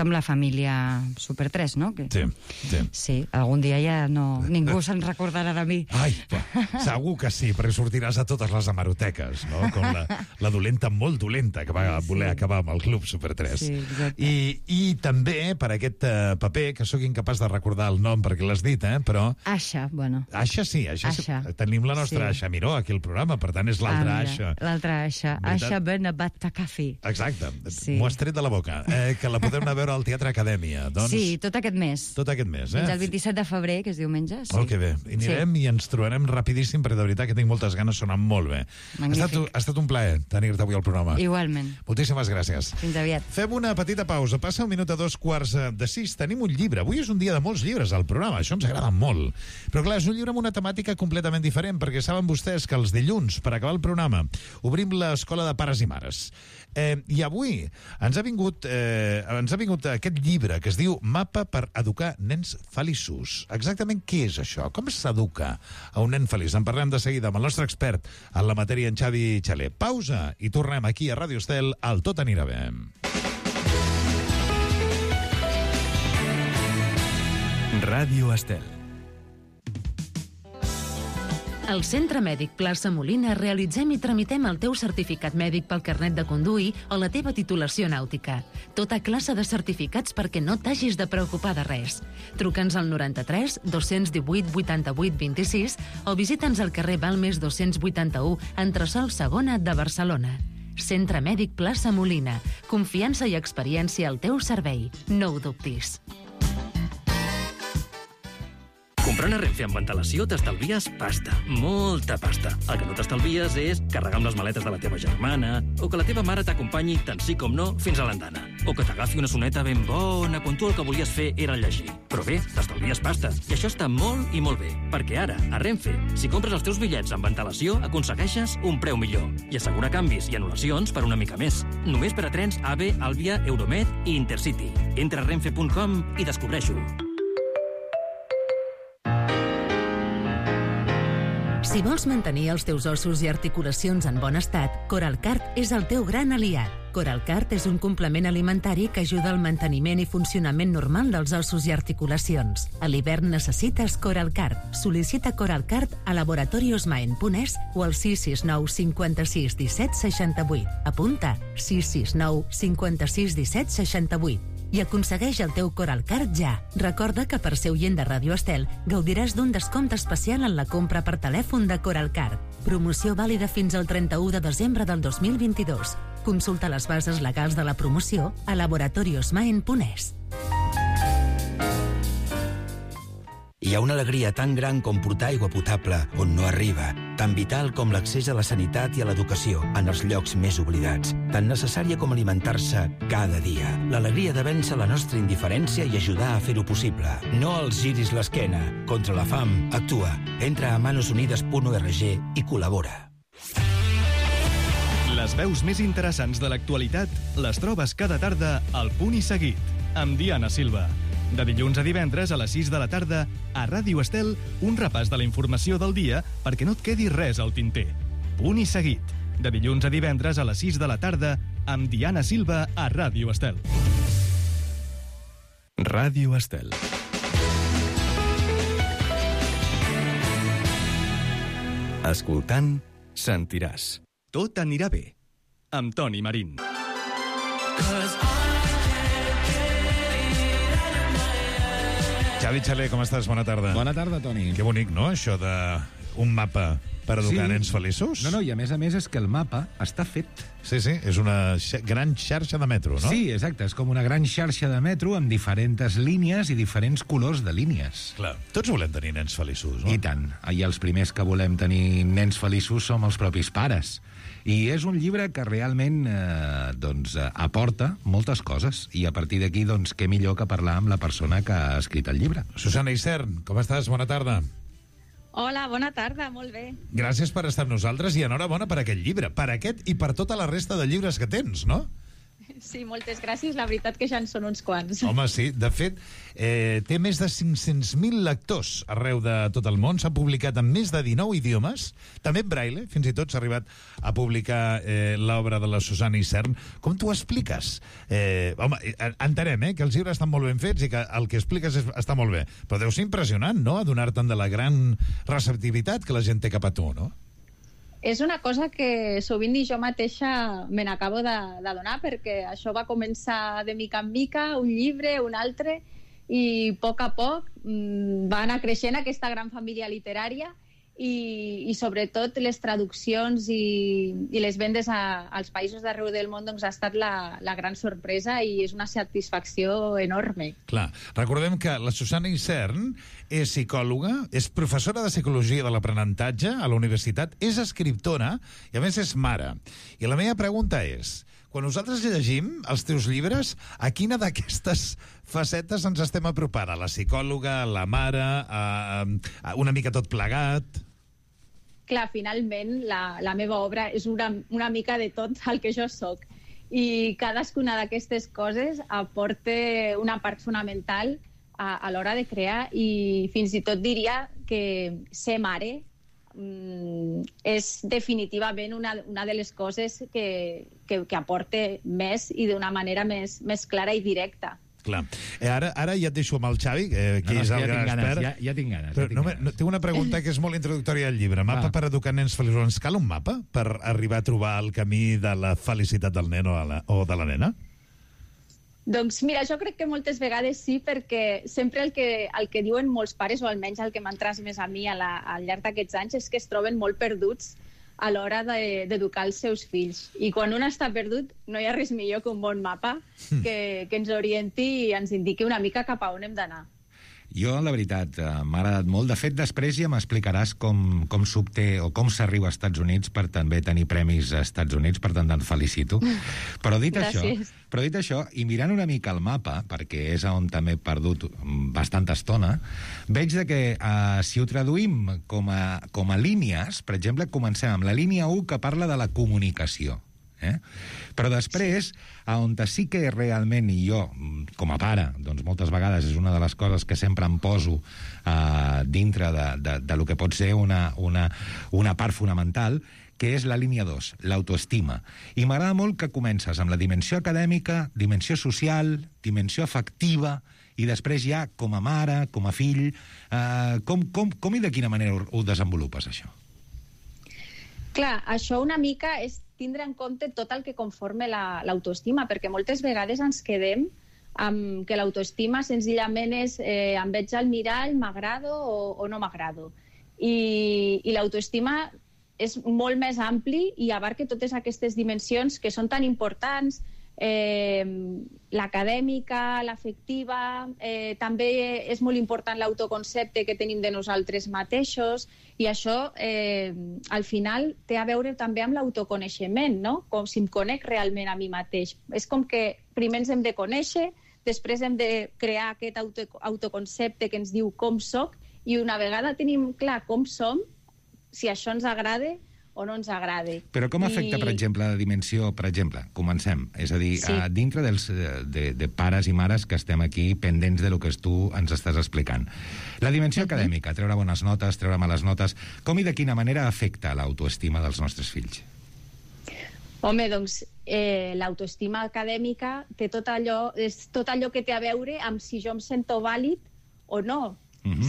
amb la família Super 3, no? Sí, algun dia ja ningú se'n recordarà de mi. Ai, segur que sí, perquè sortiràs a totes les hemeroteques, no? Com la dolenta, molt dolenta, que va voler acabar amb el Club Super 3. Sí, exacte. I també per aquest paper, que sóc incapaç de recordar el nom perquè l'has dit, però... Aixa, bueno. Aixa sí, Aixa. Tenim la nostra Aixa Miró aquí al programa, per tant és l'altra Aixa. L'altra Aixa, Aixa Benabat Takafi. Exacte, m'ho has tret de la boca. Que la podem anar a veure al Teatre Acadèmia. Sí, tot aquest mes. Tot aquest mes, Fins al 27 de febrer, que és diumenge. Molt que bé. I anirem i ens trobarem rapidíssim, perquè de veritat que tinc moltes ganes, sona molt bé. Magnífic. Ha estat un plaer tenir-te avui al programa. Igualment. Moltíssimes gràcies. Fins aviat. Fem una petita pausa. Passa un minut a 5:45. Tenim un llibre. Avui és un dia de molts llibres al programa. Això ens agrada molt. Però clar, és un llibre amb una temàtica completament diferent, perquè saben vostès que els dilluns, per acabar el programa, obrim l'Escola de Pares i Mares. I avui ens ha vingut aquest llibre que es diu Mapa per educar nens feliços. Exactament què és això? Com s'educa a un nen feliç? En parlem de seguida amb el nostre expert en la matèria, en Xavi Xaler. Pausa i tornem aquí a Ràdio Estel al Tot anirà bé. Ràdio Estel. Al Centre Mèdic Plaça Molina realitzem i tramitem el teu certificat mèdic pel carnet de conduir o la teva titulació nàutica. Tota classe de certificats perquè no t'hagis de preocupar de res. Truca'ns al 93 218 88 26 o visita'ns al carrer Balmes 281, entresòl Segona de Barcelona. Centre Mèdic Plaça Molina. Confiança i experiència al teu servei. No ho dubtis. Comprant a Renfe amb antelació t'estalvies pasta, molta pasta. El que no t'estalvies és carregar amb les maletes de la teva germana, o que la teva mare t'acompanyi tant sí com no fins a l'andana, o que t'agafi una soneta ben bona quan tu el que volies fer era llegir. Però bé, t'estalvies pasta, i això està molt i molt bé, perquè ara, a Renfe, si compres els teus bitllets amb antelació, aconsegueixes un preu millor i assegurar canvis i anul·lacions per una mica més. Només per a trens AVE, Àlvia, Euromed i Intercity. Entra a renfe.com i descobreix-ho. Si vols mantenir els teus ossos i articulacions en bon estat, Coralcart és el teu gran aliat. Coralcart és un complement alimentari que ajuda al manteniment i funcionament normal dels ossos i articulacions. A l'hivern necessites Coralcart. Sol·licita Coralcart a laboratoriosmaen.es o al 669 56 17 68. Apunta 669 56 17 68. I aconsegueix el teu Coralcart ja. Recorda que per ser oient de Ràdio Estel gaudiràs d'un descompte especial en la compra per telèfon de Coralcart. Promoció vàlida fins al 31 de desembre del 2022. Consulta les bases legals de la promoció a laboratoriosmaen.es. Hi ha una alegria tan gran com portar aigua potable on no arriba, tan vital com l'accés a la sanitat i a l'educació en els llocs més oblidats, tan necessària com alimentar-se cada dia. L'alegria de vèncer la nostra indiferència i ajudar a fer-ho possible. No els giris l'esquena. Contra la fam, actua. Entra a manosunides.org i col·labora. Les veus més interessants de l'actualitat les trobes cada tarda al Punt i Seguit, amb Diana Silva. De dilluns a divendres a les 6 de la tarda, a Ràdio Estel, un repàs de la informació del dia perquè no et quedi res al tinter. Punt i Seguit, de dilluns a divendres a les 6 de la tarda, amb Diana Silva a Ràdio Estel. Ràdio Estel. Escoltant, sentiràs. Tot anirà bé. Amb Toni Marín. Xavi Xaler, com estàs? Bona tarda. Bona tarda, Toni. Que bonic, no?, això d'un mapa per educar nens feliços. No, i a més és que el mapa està fet. Sí, és una gran xarxa de metro, no? Sí, exacte, és com una gran xarxa de metro amb diferents línies i diferents colors de línies. Clar, tots volem tenir nens feliços, no? I tant, i els primers que volem tenir nens feliços som els propis pares. I és un llibre que realment aporta moltes coses, i a partir d'aquí, què millor que parlar amb la persona que ha escrit el llibre. Susana Isern, com estàs? Bona tarda. Hola, bona tarda, molt bé. Gràcies per estar amb nosaltres i enhorabona per aquest llibre, per aquest i per tota la resta de llibres que tens, no? Sí, moltes gràcies, la veritat que ja en són uns quants. Home, sí, de fet, té més de 500.000 lectors arreu de tot el món, s'ha publicat en més de 19 idiomes, també en braille, fins i tot s'ha arribat a publicar l'obra de la Susana Isern. Com t'ho expliques? Home, entenem que els llibres estan molt ben fets i que el que expliques està molt bé, però deu ser impressionant, no?, adonar-te'n de la gran receptivitat que la gent té cap a tu, no? És una cosa que sovint ni jo mateixa me n'acabo d'adonar, perquè això va començar de mica en mica, un llibre, un altre, i a poc va anar creixent aquesta gran família literària i sobretot les traduccions i les vendes als països d'arreu del món ha estat la gran sorpresa i és una satisfacció enorme. Clar, recordem que la Susana Isern és psicòloga, és professora de psicologia de l'aprenentatge a la universitat, és escriptora i a més és mare. I la meva pregunta és, quan nosaltres llegim els teus llibres, a quina d'aquestes facetes ens estem apropant? A la psicòloga, a la mare, a una mica tot plegat? Clar, finalment la meva obra és una mica de tot el que jo soc i cadascuna d'aquestes coses aporta una part fonamental a l'hora de crear i fins i tot diria que ser mare és definitivament una de les coses que aporta més i d'una manera més clara i directa. Clar. Ara ja et deixo amb el Xavi, que és el gran expert. Ja tinc ganes. Tinc una pregunta que és molt introductòria al llibre. Mapa per educar nens feliços. Ens cal un mapa per arribar a trobar el camí de la felicitat del nen o de la nena? Doncs mira, jo crec que moltes vegades sí, perquè sempre el que diuen molts pares, o almenys el que m'han transmès a mi al llarg d'aquests anys, és que es troben molt perduts a l'hora d'educar els seus fills. I quan un està perdut, no hi ha res millor que un bon mapa que ens orienti i ens indiqui una mica cap a on hem d'anar. Jo, la veritat, m'ha agradat molt. De fet, després ja m'explicaràs com s'obté o com s'arriba als Estats Units per també tenir premis als Estats Units, per tant, te'n felicito. Però dit això, i mirant una mica el mapa, perquè és on també he perdut bastanta estona, veig que si ho traduïm com a línies, per exemple, comencem amb la línia 1 que parla de la comunicació. Però després, on sí que realment, i jo, com a pare, doncs moltes vegades és una de les coses que sempre em poso dintre de lo que pot ser una part fonamental, que és la línia 2, l'autoestima. I m'agrada molt que comences amb la dimensió acadèmica, dimensió social, dimensió afectiva, i després ja com a mare, com a fill, com i de quina manera ho desenvolupes, això? Clar, això una mica és tindre en compte tot el que conforma l'autoestima, perquè moltes vegades ens quedem amb que l'autoestima senzillament és em veig al mirall, m'agrado o no m'agrado. I l'autoestima és molt més ampli i abarca totes aquestes dimensions que són tan importants, l'acadèmica, l'afectiva, també és molt important l'autoconcepte que tenim de nosaltres mateixos, i això al final té a veure també amb l'autoconeixement, no? Com si em conec realment a mi mateix. És com que primer ens hem de conèixer, després hem de crear aquest autoconcepte que ens diu com soc, i una vegada tenim clar com som, si això ens agrada o no ens agrade. Però com afecta, per exemple, la dimensió... Per exemple, comencem. És a dir, dintre de pares i mares que estem aquí pendents de lo que tu ens estàs explicant. La dimensió acadèmica, treure bones notes, treure males notes, com i de quina manera afecta l'autoestima dels nostres fills? Home, doncs, l'autoestima acadèmica té és tot allò que té a veure amb si jo em sento vàlid o no.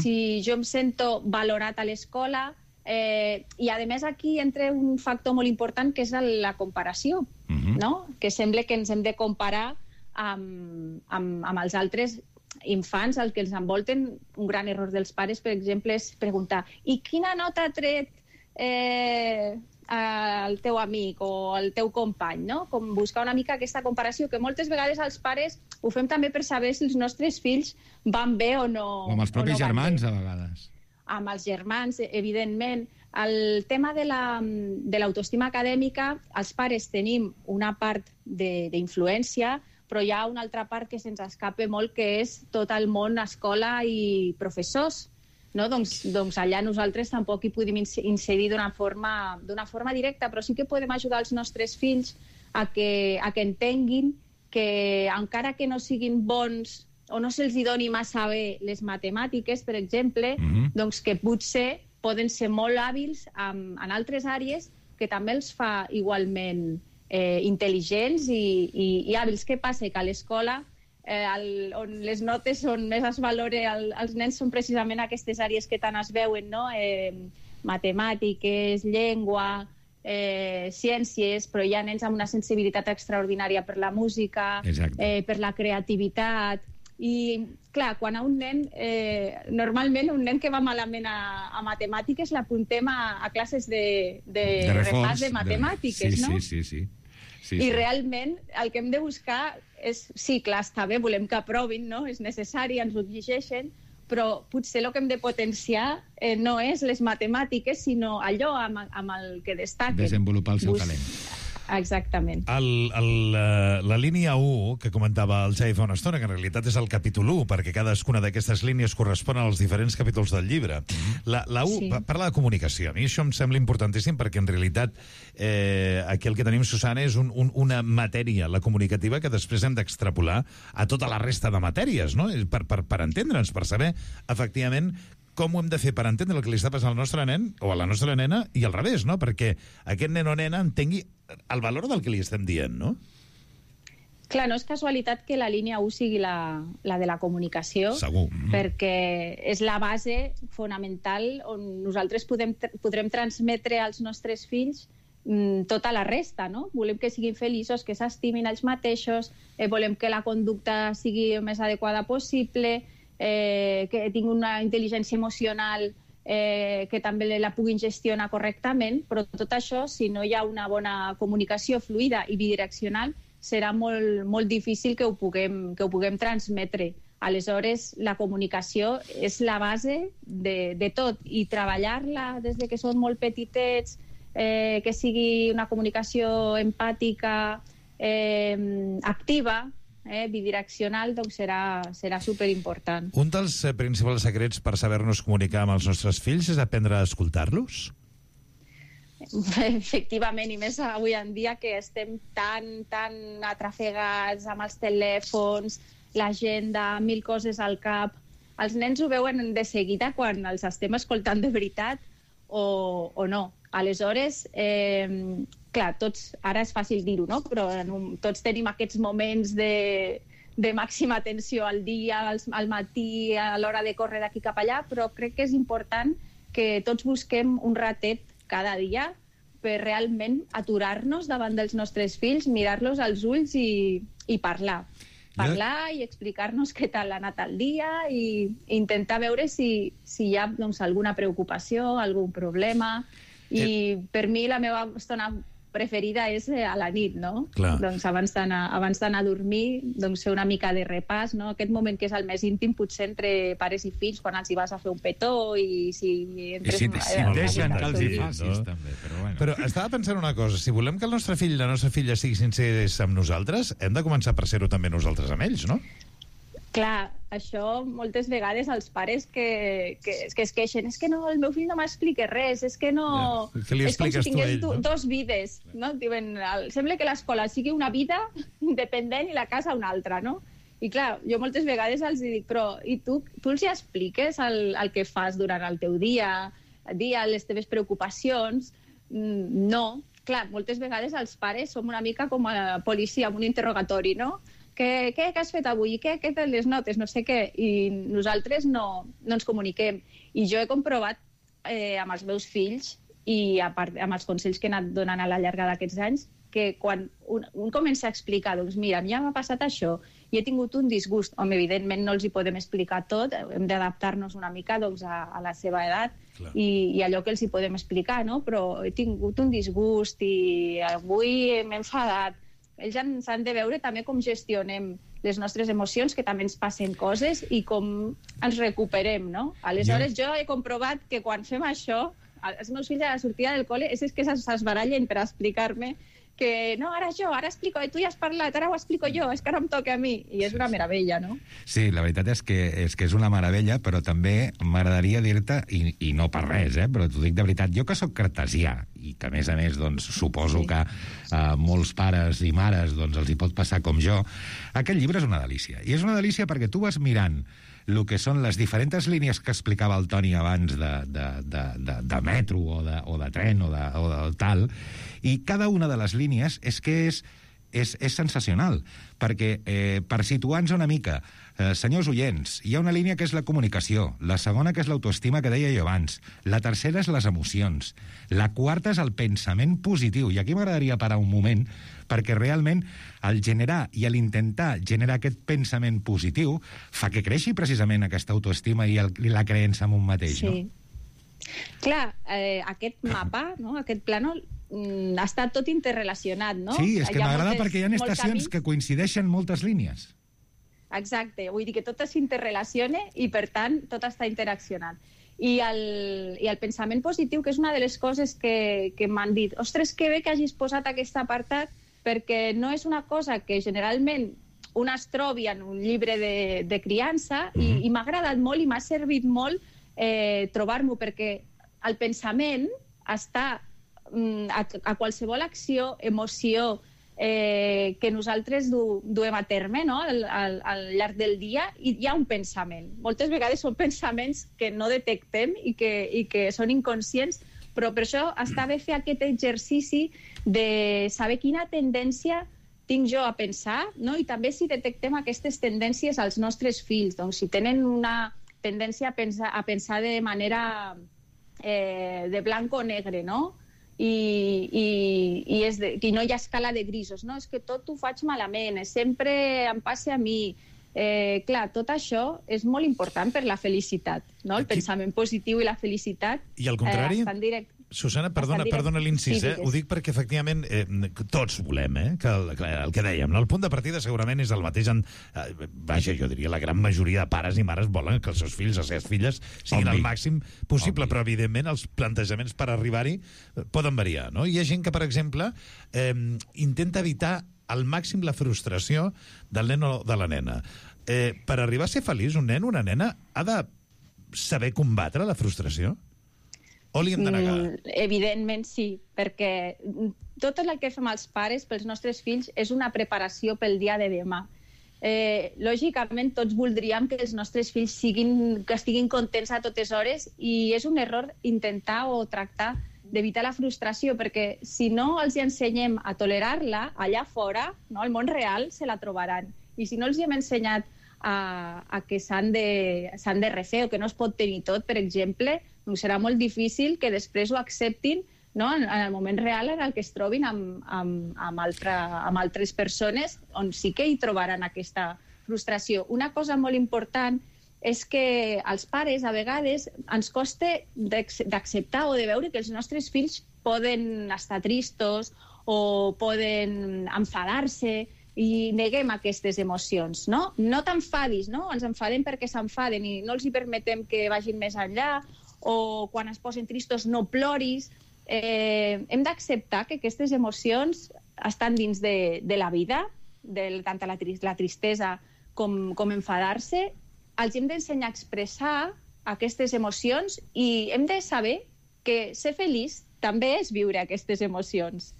Si jo em sento valorat a l'escola... I, a més, aquí entra un factor molt important, que és la comparació, no? Que sembla que ens hem de comparar amb els altres infants, els que els envolten. Un gran error dels pares, per exemple, és preguntar i quina nota ha tret el teu amic o el teu company, no? Com buscar una mica aquesta comparació, que moltes vegades els pares ho fem també per saber si els nostres fills van bé o no. O amb els propis germans, a vegades. Amb els germans, evidentment. El tema de l'autoestima acadèmica, els pares tenim una part d'influència, però hi ha una altra part que se'ns escapa molt, que és tot el món escola i professors. No? Doncs allà nosaltres tampoc hi podem incidir d'una forma directa, però sí que podem ajudar els nostres fills a que entenguin que encara que no siguin bons o no se'ls doni massa bé les matemàtiques, per exemple, doncs que potser poden ser molt hàbils en altres àrees que també els fa igualment intel·ligents i hàbils. Què passa? Que a l'escola, on les notes on més es valora els nens són precisament aquestes àrees que tant es veuen, no? Matemàtiques, llengua, ciències, però hi ha nens amb una sensibilitat extraordinària per la música, per la creativitat. I, clar, quan a un nen, normalment un nen que va malament a matemàtiques l'apuntem a classes de repàs de matemàtiques, no? Sí. I realment el que hem de buscar és, sí, clar, està bé, volem que aprovin, no? És necessari, ens ho exigeixen, però potser el que hem de potenciar no és les matemàtiques, sinó allò amb el que destaquen. Desenvolupar el seu talent. Exactament. La línia 1, que comentava el Xavi fa una estona, que en realitat és el capítol 1, perquè cadascuna d'aquestes línies correspon als diferents capítols del llibre. La 1 parla de comunicació. A mi això em sembla importantíssim, perquè en realitat aquí el que tenim, Susana, és una matèria, la comunicativa, que després hem d'extrapolar a tota la resta de matèries, no? Per entendre'ns, per saber, efectivament, com ho hem de fer per entendre el que li està passant al nostre nen o a la nostra nena i al revés, no? Perquè aquest nen o nena entengui el valor del que li estem dient, no? Clar, no és casualitat que la línia 1 sigui la de la comunicació. Segur. Perquè és la base fonamental on nosaltres podrem transmetre als nostres fills tota la resta, no? Volem que siguin feliços, que s'estimin ells mateixos, volem que la conducta sigui el més adequada possible, que tinguin una intel·ligència emocional que també la puguin gestionar correctament, però tot això, si no hi ha una bona comunicació fluida i bidireccional, serà molt difícil que ho puguem transmetre. Aleshores, la comunicació és la base de tot, i treballar-la des de que són molt petitets, que sigui una comunicació empàtica, activa, bidireccional, doncs serà superimportant. Un dels principals secrets per saber-nos comunicar amb els nostres fills és aprendre a escoltar-los? Efectivament, i més avui en dia que estem tan atrafegats amb els telèfons, l'agenda, 1000 coses al cap. Els nens ho veuen de seguida quan els estem escoltant de veritat o no. Aleshores, clar, tots, ara és fàcil dir-ho, no? Però tots tenim aquests moments de màxima atenció al dia, al matí, a l'hora de córrer d'aquí cap allà, però crec que és important que tots busquem un ratet cada dia per realment aturar-nos davant dels nostres fills, mirar-los als ulls i parlar. Parlar i explicar-nos què tal ha anat el dia i intentar veure si hi ha alguna preocupació, algun problema. I per mi la meva estona preferida és a la nit, no? Clar. Doncs abans d'anar a dormir, doncs fer una mica de repàs, no? Aquest moment que és el més íntim, potser entre pares i fills, quan els hi vas a fer un petó i si entres... I si et deixen que els hi facis, també, però bueno. Però estava pensant una cosa, si volem que el nostre fill i la nostra filla siguin sincers amb nosaltres, hem de començar per ser-ho també nosaltres amb ells, no? Clar, això moltes vegades els pares que es queixen és que no, el meu fill no m'explica res, és que no... Ja. Que li expliques és com si tingués tu a ell, no? dos vides, no? Diuen, sembla que l'escola sigui una vida independent i la casa una altra, no? I clar, jo moltes vegades els dic, però i tu els hi expliques el que fas durant el teu dia, les teves preocupacions? No. Clar, moltes vegades els pares som una mica com a policia amb un interrogatori, no? Què has fet avui? Què tenen les notes? No sé què. I nosaltres no ens comuniquem. I jo he comprovat amb els meus fills i a part amb els consells que he anat donant a la llarga d'aquests anys que quan un comença a explicar, doncs mira, a mi ja m'ha passat això i he tingut un disgust, home, evidentment no els hi podem explicar tot, hem d'adaptar-nos una mica doncs, a la seva edat i allò que els hi podem explicar, no? Però he tingut un disgust i avui m'he enfadat. Ells s'han de veure també com gestionem les nostres emocions, que també ens passen coses i com ens recuperem, no? Aleshores, jo he comprovat que quan fem això, els meus fills a la sortida del col·le és que s'esbarallen per explicar-me que no, ara explico, tu ja has parlat, ara ho explico jo, és que ara em toca a mi. I és una meravella, no? Sí, la veritat és que és una meravella, però també m'agradaria dir-te, i no per res, però t'ho dic de veritat, jo que sóc cartesià, i que a més doncs, suposo que molts pares i mares doncs, els hi pot passar com jo, aquest llibre és una delícia. I és una delícia perquè tu vas mirant el que són les diferents línies que explicava el Toni abans de metro o de tren o de tal, i cada una de les línies és sensacional, perquè per situar-nos una mica, senyors oients, hi ha una línia que és la comunicació, la segona que és l'autoestima que deia jo abans, la tercera és les emocions, la quarta és el pensament positiu, i aquí m'agradaria parar un moment, perquè realment el generar i l'intentar generar aquest pensament positiu fa que creixi precisament aquesta autoestima i la creença en un mateix, no? Clar, aquest mapa, no? Aquest plànol està tot interrelacionat, no? Sí, és que m'agrada perquè hi ha estacions que coincideixen moltes línies. Exacte, vull dir que tot s'interrelaciona i, per tant, tot està interaccionant. I el pensament positiu, que és una de les coses que m'han dit, ostres, que bé que hagis posat aquest apartat, perquè no és una cosa que generalment un es trobi en un llibre de criança i m'ha agradat molt i m'ha servit molt trobar-m'ho, perquè el pensament està a qualsevol acció, emoció que nosaltres duem a terme, no? Al llarg del dia, i hi ha un pensament. Moltes vegades són pensaments que no detectem i que són inconscients, però per això està bé fer aquest exercici de saber quina tendència tinc jo a pensar, no? I també si detectem aquestes tendències als nostres fills, doncs si tenen una tendència a pensar de manera de blanc o negre, no? I no hi ha escala de grisos, no? És que tot ho faig malament, sempre em passa a mi. Clar, tot això és molt important per la felicitat, no? El pensament positiu i la felicitat. I al contrari? Susana, perdona l'incís, ho dic perquè efectivament tots volem, que el que dèiem, el punt de partida segurament és el mateix, vaja, jo diria la gran majoria de pares i mares volen que els seus fills, les seves filles siguin el màxim possible, però evidentment els plantejaments per arribar-hi poden variar, no? Hi ha gent que, per exemple, intenta evitar al màxim la frustració del nen o de la nena. Per arribar a ser feliç, un nen o una nena ha de saber combatre la frustració? O li hem de negar? Evidentment sí, perquè tot el que fem els pares pels nostres fills és una preparació pel dia de demà. Lògicament tots voldríem que els nostres fills estiguin contents a totes hores i és un error intentar o tractar d'evitar la frustració, perquè si no els ensenyem a tolerar-la allà fora, no, al món real se la trobaran. I si no els hem ensenyat a que s'han de refer o que no es pot tenir tot, per exemple, doncs serà molt difícil que després ho acceptin, no? En el moment real en el que es trobin amb altres persones on sí que hi trobaran aquesta frustració. Una cosa molt important és que als pares a vegades ens costa d'acceptar o de veure que els nostres fills poden estar tristos o poden enfadar-se i neguem aquestes emocions, no? No t'enfadis, no? Ens enfadem perquè s'enfaden i no els hi permetem que vagin més enllà, o quan es posen tristos no ploris. Hem d'acceptar que aquestes emocions estan dins de la vida, tant la tristesa com enfadar-se, els hem d'ensenyar a expressar aquestes emocions i hem de saber que ser feliç també és viure aquestes emocions.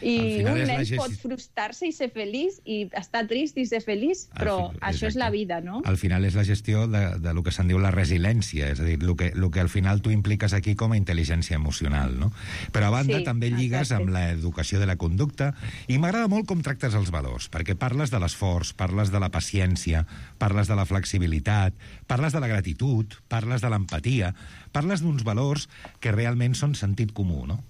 I un nen pot frustrar-se i ser feliç, i estar trist i ser feliç, però això és la vida, no? Al final és la gestió de lo que se'n diu la resiliència, és a dir, el que al final tu impliques aquí com a intel·ligència emocional, no? Però a banda també lligues amb l'educació de la conducta, i m'agrada molt com tractes els valors, perquè parles de l'esforç, parles de la paciència, parles de la flexibilitat, parles de la gratitud, parles de l'empatia, parles d'uns valors que realment són sentit comú, no?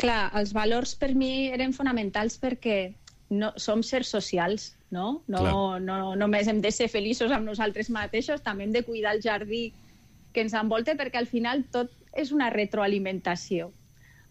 Clar, els valors per mi eren fonamentals perquè som sers socials, no? No només hem de ser feliços amb nosaltres mateixos, també hem de cuidar el jardí que ens envolta, perquè al final tot és una retroalimentació.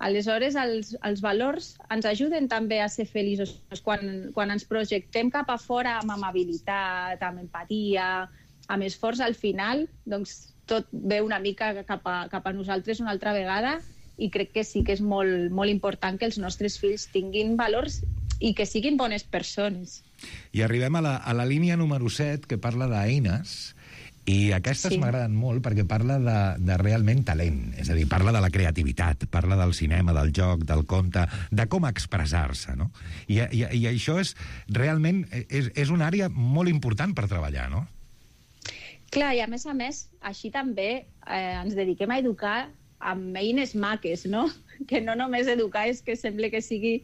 Aleshores, els valors ens ajuden també a ser feliços. Quan ens projectem cap a fora amb amabilitat, amb empatia, amb esforç, al final, doncs, tot ve una mica cap a nosaltres una altra vegada, i crec que sí que és molt, molt important que els nostres fills tinguin valors i que siguin bones persones. I arribem a la línia número 7, que parla d'eines, i aquestes m'agraden molt perquè parla de realment talent, és a dir, parla de la creativitat, parla del cinema, del joc, del conte, de com expressar-se, no? I això és realment és una àrea molt important per treballar, no? Clar, i a més, així també ens dediquem a educar amb eines maques, no? Que no només educar és que sembla que sigui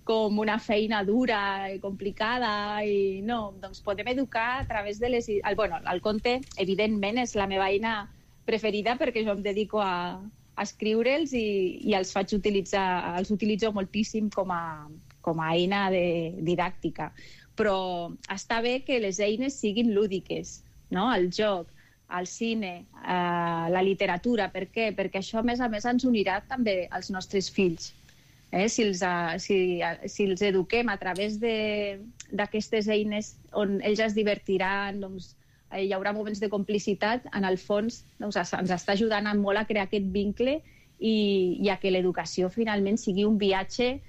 com una feina dura i complicada, i no, doncs podem educar a través de les... El conte, evidentment, és la meva eina preferida perquè jo em dedico a escriure'ls i els faig utilitzar, els utilitzo moltíssim com a eina didàctica. Però està bé que les eines siguin lúdiques, no? El joc, al cine, la literatura. Per què? Perquè això, a més, ens unirà també als nostres fills. Si els eduquem a través d'aquestes eines on ells es divertiran, doncs, hi haurà moments de complicitat, en el fons doncs, ens està ajudant molt a crear aquest vincle i a que l'educació finalment sigui un viatge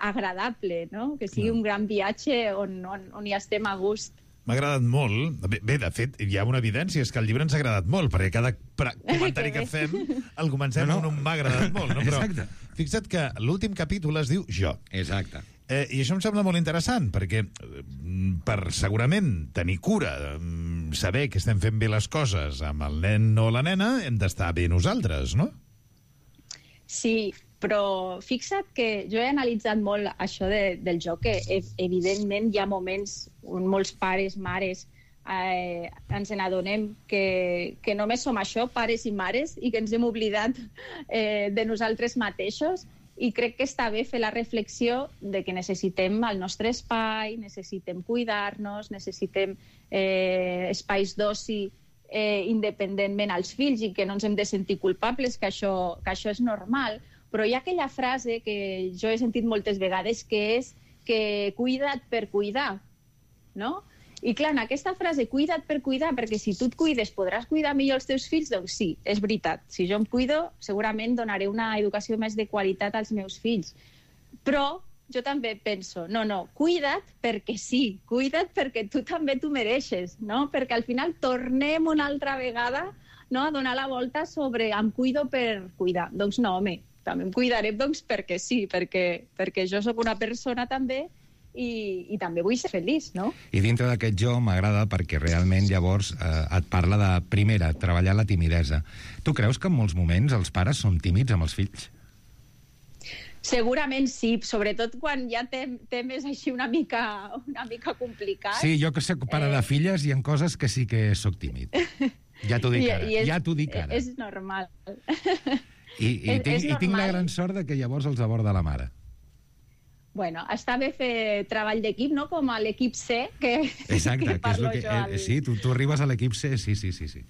agradable, no? Que sigui un gran viatge on hi estem a gust. M'ha agradat molt. Bé, de fet, hi ha una evidència, és que el llibre ens ha agradat molt, perquè cada comentari que fem el comencem amb un m'ha agradat molt. No? Però fixa't que l'últim capítol es diu Jo. Exacte. I això em sembla molt interessant, perquè per segurament tenir cura, saber que estem fent bé les coses amb el nen o la nena, hem d'estar bé nosaltres, no? Sí, però fixa't que jo he analitzat molt això del joc, que evidentment hi ha moments on molts pares, mares, ens n'adonem que només som això, pares i mares, i que ens hem oblidat de nosaltres mateixos, i crec que està bé fer la reflexió de que necessitem el nostre espai, necessitem cuidar-nos, necessitem espais d'oci independentment als fills, i que no ens hem de sentir culpables, que això és normal. Però hi ha aquella frase que jo he sentit moltes vegades, que és que cuida't per cuidar, no? I clar, en aquesta frase, cuida't per cuidar, perquè si tu et cuides podràs cuidar millor els teus fills, doncs sí, és veritat. Si jo em cuido, segurament donaré una educació més de qualitat als meus fills. Però jo també penso, no, cuida't perquè sí, cuida't perquè tu també t'ho mereixes, no? Perquè al final tornem una altra vegada, no, a donar la volta sobre em cuido per cuidar. Doncs no, home, també em cuidaré perquè sí, perquè jo sóc una persona també i també vull ser feliç, no? I dintre d'aquest jo m'agrada perquè realment llavors et parla de, primera, treballar la timidesa. Tu creus que en molts moments els pares són tímids amb els fills? Segurament sí, sobretot quan hi ha temes així una mica complicats. Sí, jo que soc pare de filles hi ha coses que sí que sóc tímid. Ja t'ho dic ara, ja t'ho dic ara. És normal. I tinc la gran sort de que llavors els aborda la mare. Bueno, està bé fer treball d'equip, no? Com a l'equip C, exacte, que parlo que és jo. Sí, tu arribes a l'equip C, sí.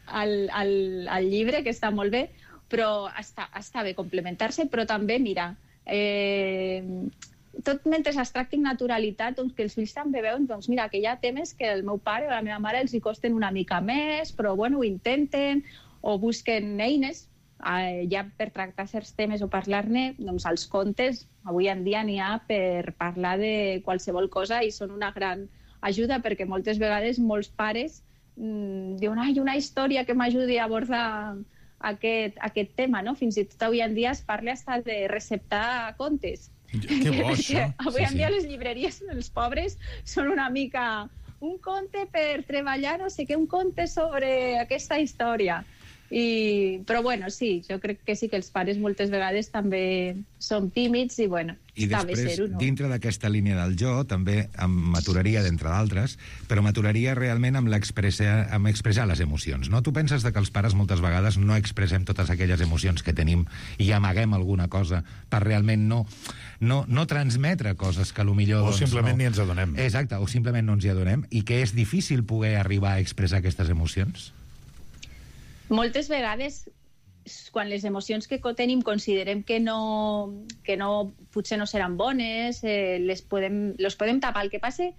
Al llibre, que està molt bé, però està bé complementar-se, però també, mira, tot mentre es tracti amb naturalitat, doncs que els fills també veuen, doncs mira, que hi ha temes que el meu pare o la meva mare els hi costen una mica més, però bueno, ho intenten, o busquen eines, ja per tractar certs temes o parlar-ne, doncs els contes avui en dia n'hi ha per parlar de qualsevol cosa i són una gran ajuda, perquè moltes vegades molts pares diuen una història que m'ajudi a abordar aquest tema, no? Fins i tot avui en dia es parla hasta de receptar contes. Que bo, això. Avui en dia les llibreries, els pobres, són una mica un conte per treballar, no sé què, un conte sobre aquesta història. Però bueno, sí, jo crec que sí que els pares moltes vegades també som tímids i bueno, està bé ser-ho, no? Dintre d'aquesta línia del jo, també m'aturaria, d'entre d'altres, però m'aturaria realment amb expressar les emocions, no? Tu penses que els pares moltes vegades no expressem totes aquelles emocions que tenim i amaguem alguna cosa per realment no transmetre coses que potser... O simplement ni ens adonem. Exacte, o simplement no ens hi adonem, i que és difícil poder arribar a expressar aquestes emocions? Moltes vegades, quan les emocions que tenim considerem que potser no seran bones, les podem tapar. El que passa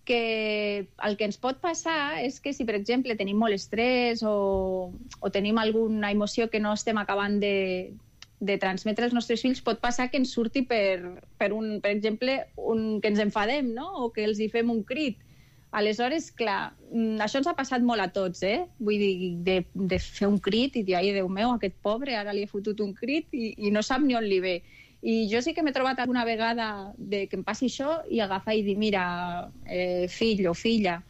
que el que ens pot passar és que si, per exemple, tenim molt estrès o tenim alguna emoció que no estem acabant de transmetre als nostres fills, pot passar que ens surti per exemple, que ens enfadem, no? O que els hi fem un crit. Aleshores, clar, això ens ha passat molt a tots, Vull dir, de fer un crit i dir, ai, Déu meu, aquest pobre, ara li he fotut un crit i no sap ni on li ve. I jo sí que m'he trobat alguna vegada que em passi això i agafar i dir, mira, fill o filla,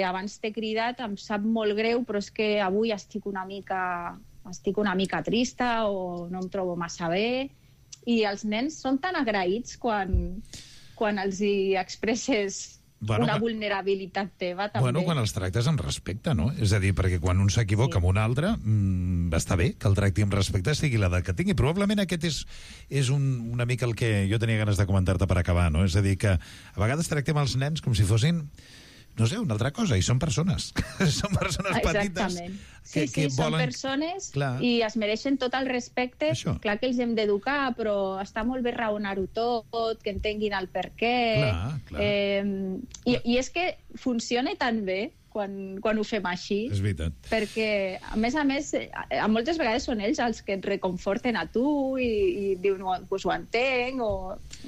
abans t'he cridat, em sap molt greu, però és que avui estic una mica trista o no em trobo massa bé. I els nens són tan agraïts quan els hi expresses una vulnerabilitat teva, també. Bueno, quan els tractes amb respecte, no? És a dir, perquè quan un s'equivoca amb un altre, està bé que el tracti amb respecte, sigui l'edat que tingui. Probablement aquest és una mica el que jo tenia ganes de comentar-te per acabar, no? És a dir, que a vegades tractem els nens com si fossin, no sé, una altra cosa, i són persones. Són persones petites que volen... Són persones i es mereixen tot el respecte. Això. Clar que els hem d'educar, però està molt bé raonar-ho tot, que entenguin el per què. Clar. I és que funciona tan bé quan ho fem així. És veritat. Perquè, a més, moltes vegades són ells els que et reconforten a tu i diuen, pues ho entenc,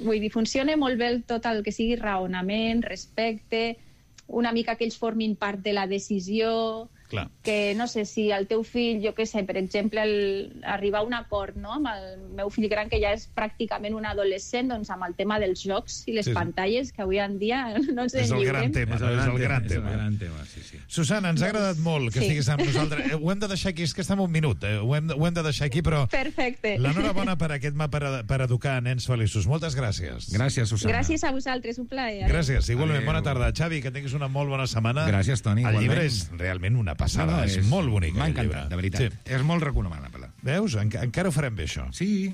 vull dir, funciona molt bé tot el que sigui raonament, respecte, una mica que ells formin part de la decisió. Clar. Que no sé si el teu fill, jo què sé, per exemple, arribar a un acord, no?, amb el meu fill gran, que ja és pràcticament un adolescent, doncs amb el tema dels jocs i les pantalles, que avui en dia no ens en lliurem. És el gran tema. Sí. Susana, ens ha agradat molt que estiguis amb nosaltres. Ho hem de deixar aquí, és que estem un minut, ho hem de deixar aquí, però... Perfecte. L'enhorabona per aquest mapa per educar nens feliços. Moltes gràcies. Gràcies, Susana. Gràcies a vosaltres, un plaer. Gràcies, igualment. Bona tarda. Xavi, que tinguis una molt bona setmana. Gràcies, Toni. El llibre és realment una passada, és molt bonic. M'ha encantat, de veritat. Sí. És molt recomanable. Veus? Encara ho farem bé, això. Sí.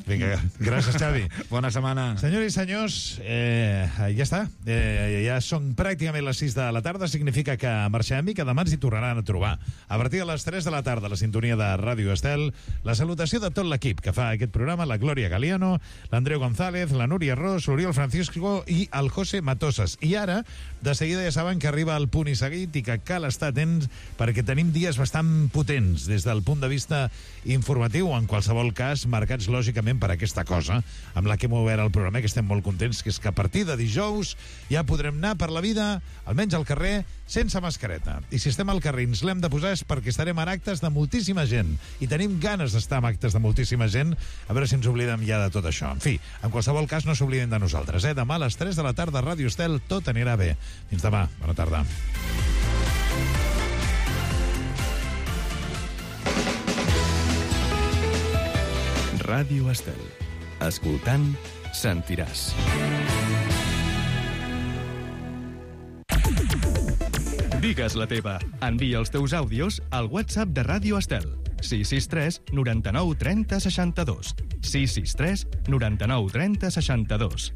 Vinga, gràcies, Xavi. Bona setmana. Senyores i senyors, ja està. Ja són pràcticament les 6 de la tarda, significa que marxem i que demà ens hi tornaran a trobar. A partir de les 3 de la tarda, la sintonia de Ràdio Estel, la salutació de tot l'equip que fa aquest programa, la Glòria Galiano, l'Andreu González, la Núria Ros, l'Oriol Francisco i el José Matosas. I ara, de seguida ja saben que arriba el punt i seguit i que cal estar atents perquè tenim dies bastant potents des del punt de vista informatiu, en qualsevol cas marcats lògicament per aquesta cosa amb la que hem obert el programa, que estem molt contents, que és que a partir de dijous ja podrem anar per la vida, almenys al carrer, sense mascareta. I si estem al carrer i ens l'hem de posar és perquè estarem en actes de moltíssima gent i tenim ganes d'estar en actes de moltíssima gent, a veure si ens oblidem ja de tot això. En fi, en qualsevol cas no s'obliden de nosaltres. Demà a les 3 de la tarda a Ràdio Estel tot anirà bé. Fins demà. Bona tarda. Ràdio Estel. Escoltant, sentiràs. Digues la teva. Envia els teus àudios al WhatsApp de Ràdio Estel. 663 99 30 62. 663 99 30 62.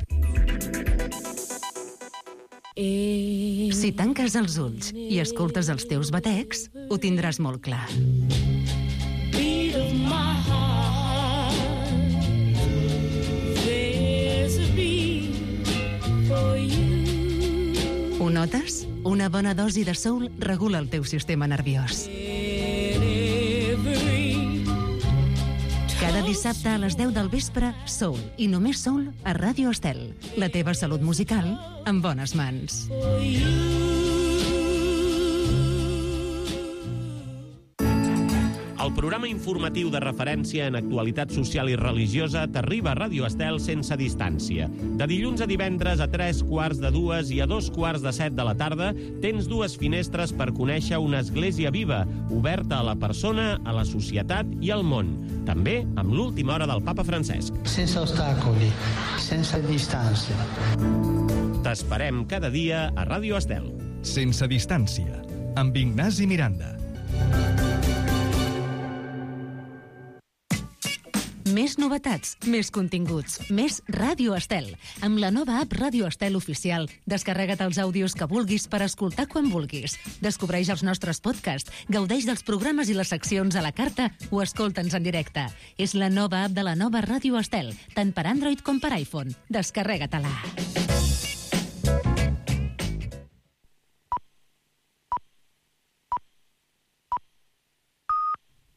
Si tanques els ulls i escoltes els teus batecs, ho tindràs molt clar. Ho notes? Una bona dosi de soul regula el teu sistema nerviós. Cada dia dissabte a les 10 del vespre, Soul, i només Soul a Ràdio Estel. La teva salut musical en bones mans. El programa informatiu de referència en actualitat social i religiosa t'arriba a Ràdio Estel sense distància. De dilluns a divendres a 3:45 i a 2:45 de la tarda tens dues finestres per conèixer una església viva, oberta a la persona, a la societat i al món. També amb l'última hora del papa Francesc. Sense ostacoli, sense distància. T'esperem cada dia a Ràdio Estel. Sense distància, amb Ignasi Miranda. Més novetats, més continguts, més Ràdio Estel. Amb la nova app Ràdio Estel Oficial, descarrega't els àudios que vulguis per escoltar quan vulguis. Descobreix els nostres podcasts, gaudeix dels programes i les seccions a la carta o escolta'ns en directe. És la nova app de la nova Ràdio Estel, tant per Android com per iPhone. Descarrega-te-la.